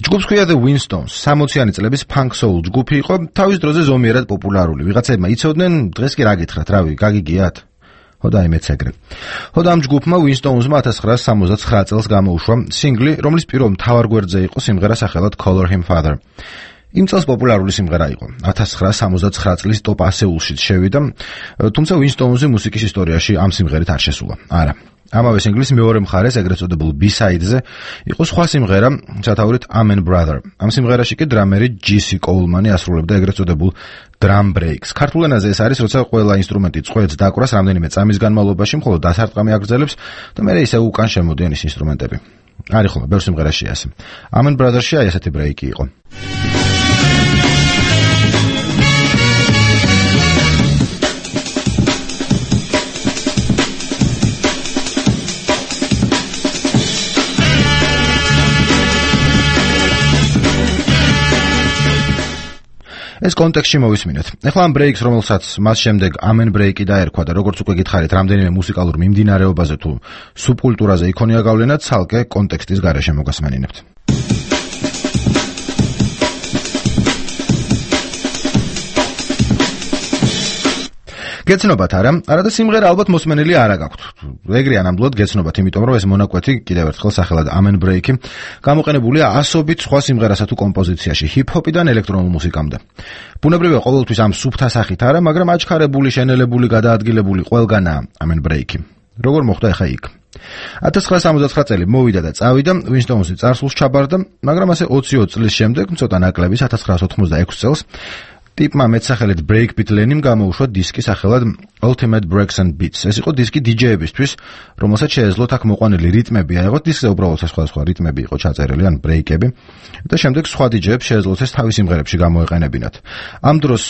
ჯგუფს ქვია The Winstones, სამოციანი წლების punk soul ჯგუფი იყო, თავის დროზე ზომიერად პოპულარული. ვიღაცებმა იცოდნენ, დღეს კი რა გითხრათ, რავი, გაგიგიათ? ხოდა იმეც ეგრე. ხოდა ამ ჯგუფმა Winstones-მა ათას ცხრაასი სამოცდათხრა წელს გამოუშვა სინგლი, რომლის პირველ მთავარ გვერდზე იყო სიმღერა სახელად Call Him Father. იმ წელს პოპულარული სიმღერა იყო. ათას ცხრაასი სამოცდათხრა წლის ტოპ ასეულში შევიდა, თუმცა Winstones-ი მუსიკის ისტორიაში ამ სიმღერით არ შესულა. არა. ამავე სინგლის მეორე მხარეს, ეგრეთ წოდებულ B-side-ზე, იყო სხვა სიმღერა, სათაურით Amen Brother. ამ სიმღერაში კი დრამერი ჯი სი Coleman-ი ასრულებდა ეგრეთ წოდებულ drum breaks. ქართულ ენაზე ეს არის, როცა ყველა ინსტრუმენტი წყვეტს დაკვრას რამდენიმე წამის განმავლობაში, მხოლოდ დასარტყამი აგრძელებს და მერე ისე უკან შემოდიან ის ინსტრუმენტები. არის ხოლმე ბევრ სიმღერაში ასე. Amen Brother-ში აი ესეთი ბრეიკი იყო. ეს კონტექსტში მოვისმინეთ. ეხლა ამ ბრეიკს, რომელსაც მას შემდეგ Amen ბრეიკი დაერქვა და როგორც უკვე გითხარით, რამდენიმე მუსიკალურ მიმდინარეობაზე თუ სუბკულტურაზე იქონია გავლენა, ცალკე კონტექსტის გარეშე მოგასმენინებთ. გეცნობათ არა, არადა სიმღერა ალბათ მოსმენელი არა გაქვთ. ეგრეა ნამდვილად გეცნობათ, იმიტომ რომ ეს მონაკვეთი კიდევ ერთხელ სახელად Amen ბრეიკი გამოყენებულია ასობით სხვა სიმღერასა თუ კომპოზიციაში, ჰიპ-ჰოპიდან ელექტრონულ მუსიკამდე. ბუნებრივია ყოველთვის ამ სუფთა სახით არა, მაგრამ აჩქარებული, შენელებული, გადაადგილებული ყველგანაა Amen ბრეიკი. როგორ მოხდა ახლა იქ? ათას ცხრაასი სამოცდათხრა წელი მოვიდა და წავიდა, Winstones-ი წარსულს ჩაბარდა, მაგრამ ასე ოცი ოც წლის შემდეგ, ცოტა ნაკლების ათას ცხრაასი ოცდაექვსი წელს ტიპმა მეტსახელით Breakbeat Lenny-მ გამოუშვა დისკი სახელად Ultimate Breaks and Beats. ეს იყო დისკი დი-ჯეებისთვის, რომელსაც შეეძლოთ აქ მოყვანილი რიტმები აიღოთ, დისკზე უბრალოდ სხვადასხვა რიტმები იყო ჩაწერილი, ან ბრეიკები, და შემდეგ სხვა დი-ჯეებს შეეძლოთ ეს თავის სიმღერებში გამოეყენებინათ. ამ დროს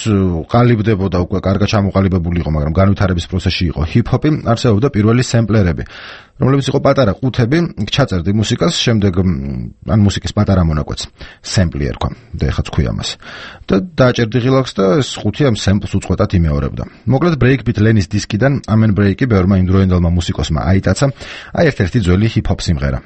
ყალიბდებოდა უკვე კარგად ჩამოყალიბებული იყო, მაგრამ განვითარების პროცესში იყო ჰიპ-ჰოპი, არსებობდა პირველი სემპლერები, რომლებიც იყო პატარა ყუთები, ჩაწერდი მუსიკას, შემდეგ ან მუსიკის პატარა მონაკვეთს სემპლი ერქვა, და ეხაც ქვია მას. და დააჭერდი ღილაკს და ეს ყუთი ამ სემპლს უწყვეტად იმეორებდა. მოკლედ Breakbeat Lenny-ის დისკიდან Amen ბრეიკი ბევრმა იმდროინდელმა მუსიკოსმა აიტაცა, აი ერთ-ერთი ძველი ჰიპ-ჰოპ სიმღერა.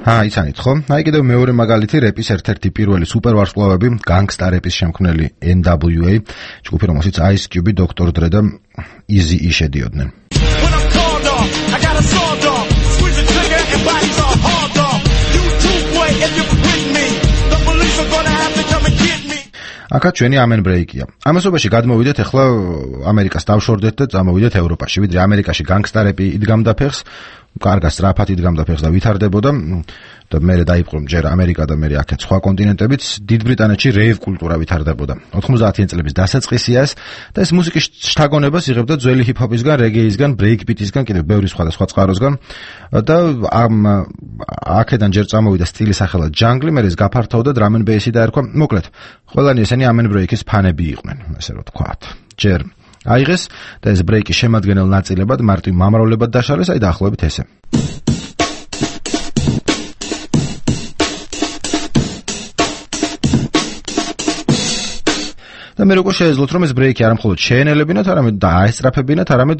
აა, იცანით ხო? აი კიდევ მეორე მაგალითი რეპის ერთ-ერთი პირველი სუპერვარსკვლავები, განგსტა რეპის შემქმნელი ენ დაბლიუ ეი, ჯგუფი, რომელშიც Ice Cube, Doctor Dre და Eazy-E შედიოდნენ. აქაც ჩვენი Amen ბრეიკია. ამასობაში გადმოვიდეთ ახლა ამერიკას დავშორდეთ და წამოვიდეთ ევროპაში, ვიდრე ამერიკაში განგსტა რეპი იდგამდა ფეხს, კარგად სწრაფად იდგამდა ფეხს და ვითარდებოდა და მერე დაიპყრო ჯერ ამერიკა და მერე აქეთ სხვა კონტინენტებიც, დიდ ბრიტანეთში რეივ კულტურა ვითარდებოდა. ოცდაათიან წლების დასაწყისია ეს და ეს მუსიკის შთაგონებას იღებდა ძველი ჰიპ-ჰოპისგან, რეგეისგან, ბრეიკბიტისგან, კიდევ ბევრი სხვადასხვა წყაროსგან და ამ აქედან ჯერ წამოვიდა სტილი სახელად ჯანგლი, მერე ეს გაფართოვდა drum and bass-ი დაერქვა. მოკლედ, ყველანი ესენი Amen ბრეიკის ფანები იყვნენ, ესე რომ თქვათ. ჯერ აიღეს და ეს ბრეიკის შემადგენელ ნაწილებად მარტივ მამროლებად დაშალეს, აი დაახლოებით ესე. და მე როგორ შეეძლოთ რომ ეს ბრეიკი არა მხოლოდ შეენელებინათ, არამედ დააესწრაფებინათ, არამედ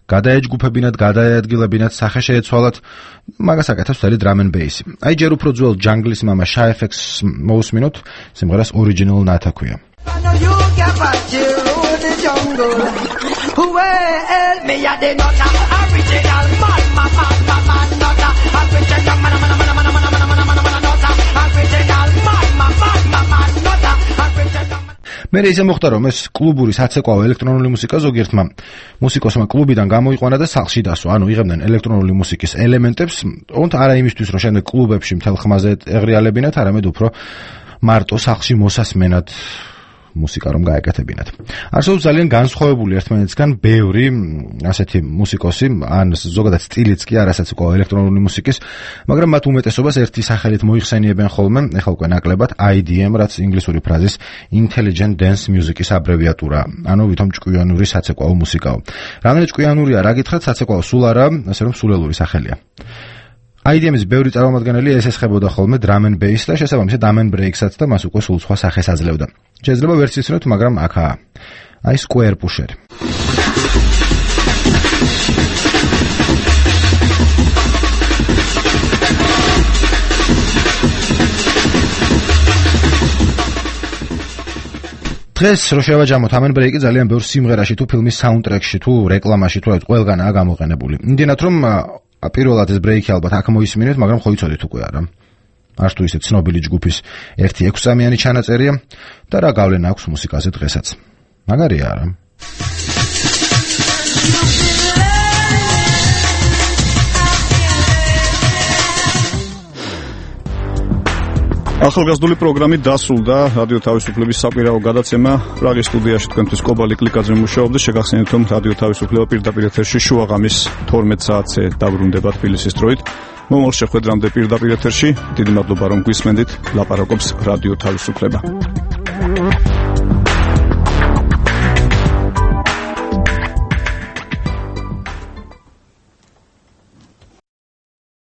გადაეჯგუფებინათ, გადაეადგილებინათ, სახე შეეცვალათ, მაგას აკეთებს მთელი drum and bass. აი ჯერ უფრო ძველ ჯანგლის მამა Shy F X მოусმინოთ, სიმღერას Original Nata ქვია. Who help me at the not original man man man man not original man man man man man man not original man man man man not original. მე ისე მოხდა რომ ეს კლუბური საცეკვაო ელექტრონული მუსიკა ზოგიერთმა მუსიკოსმა კლუბიდან გამოიყვანა და სახლში დასვა. ანუ იღებდნენ ელექტრონული მუსიკის ელემენტებს, თუმცა არა იმისთვის რომ შემდეგ კლუბებში მთელ ხმაზე ეღრიალებინათ, არამედ უფრო მარტო სახლში მოსასმენად მუსიკა რომ გაეკეთებინათ. არსებობს ძალიან განსხვავებული ერთმანეთისგან ბევრი ასეთი მუსიკოსი, ან ზოგადად სტილიც კი არასაც უკვე ელექტრონული მუსიკის, მაგრამ მათ უმეტესობას ერთი სახელით მოიხსენიებენ ხოლმე, ეხლა უკვე ნაკლებად I D M, რაც ინგლისური ფრაზის Intelligent Dance Music-ის აბრევიატურა, ანუ ვითომ ჭკვიანური საცეკვაო მუსიკაო. რამდენი ჭკვიანურია, რა გითხრათ, საცეკვაო სულ არა, ასე რომ სულელური სახელია. აი დი ემ-ის ბევრი წარმომადგენელი ესესხებოდა ხოლმე drum and bass და შესაბამისად drum and breaks-აც და მას უკვე სულ სხვა სახეს აძლევდა. შეიძლება ვერც ისინოთ, მაგრამ აქაა. აი Square Pusher. დღეს რო შევაჯამოთ drum and break-ი ძალიან ბევრ სიმღერაში თუ ფილმის საუნდტრეკში თუ რეკლამაში თუ ყველგანაა გამოყენებული. იმდენად რომ პირველად ეს ბრეიკი ალბათ აქ მოისმინეთ, მაგრამ ხო იცოდით უკვე არა. არც თუ ისე ცნობილი ჯგუფის ერთი ექვსამიანი ჩანაწერია და რა გავლენა აქვს მუსიკაზე დღესაც. მაგარია არა? ახალგაზრდული პროგრამით დასრულდა რადიო თავისუფლების საკვირაო გადაცემა. პრაღის სტუდიაში თქვენთვის კობალი კლიკაძე მუშაობდა. შეგახსენებთ, რომ რადიო თავისუფლება პირდაპირ ეთერში შუაღამის თორმეტ საათზე დაბრუნდება თბილისის დროით. მომავალ შეხვედრამდე პირდაპირ ეთერში დიდი მადლობა რომ გვისმენდით. ლაპარაკობს რადიო თავისუფლება.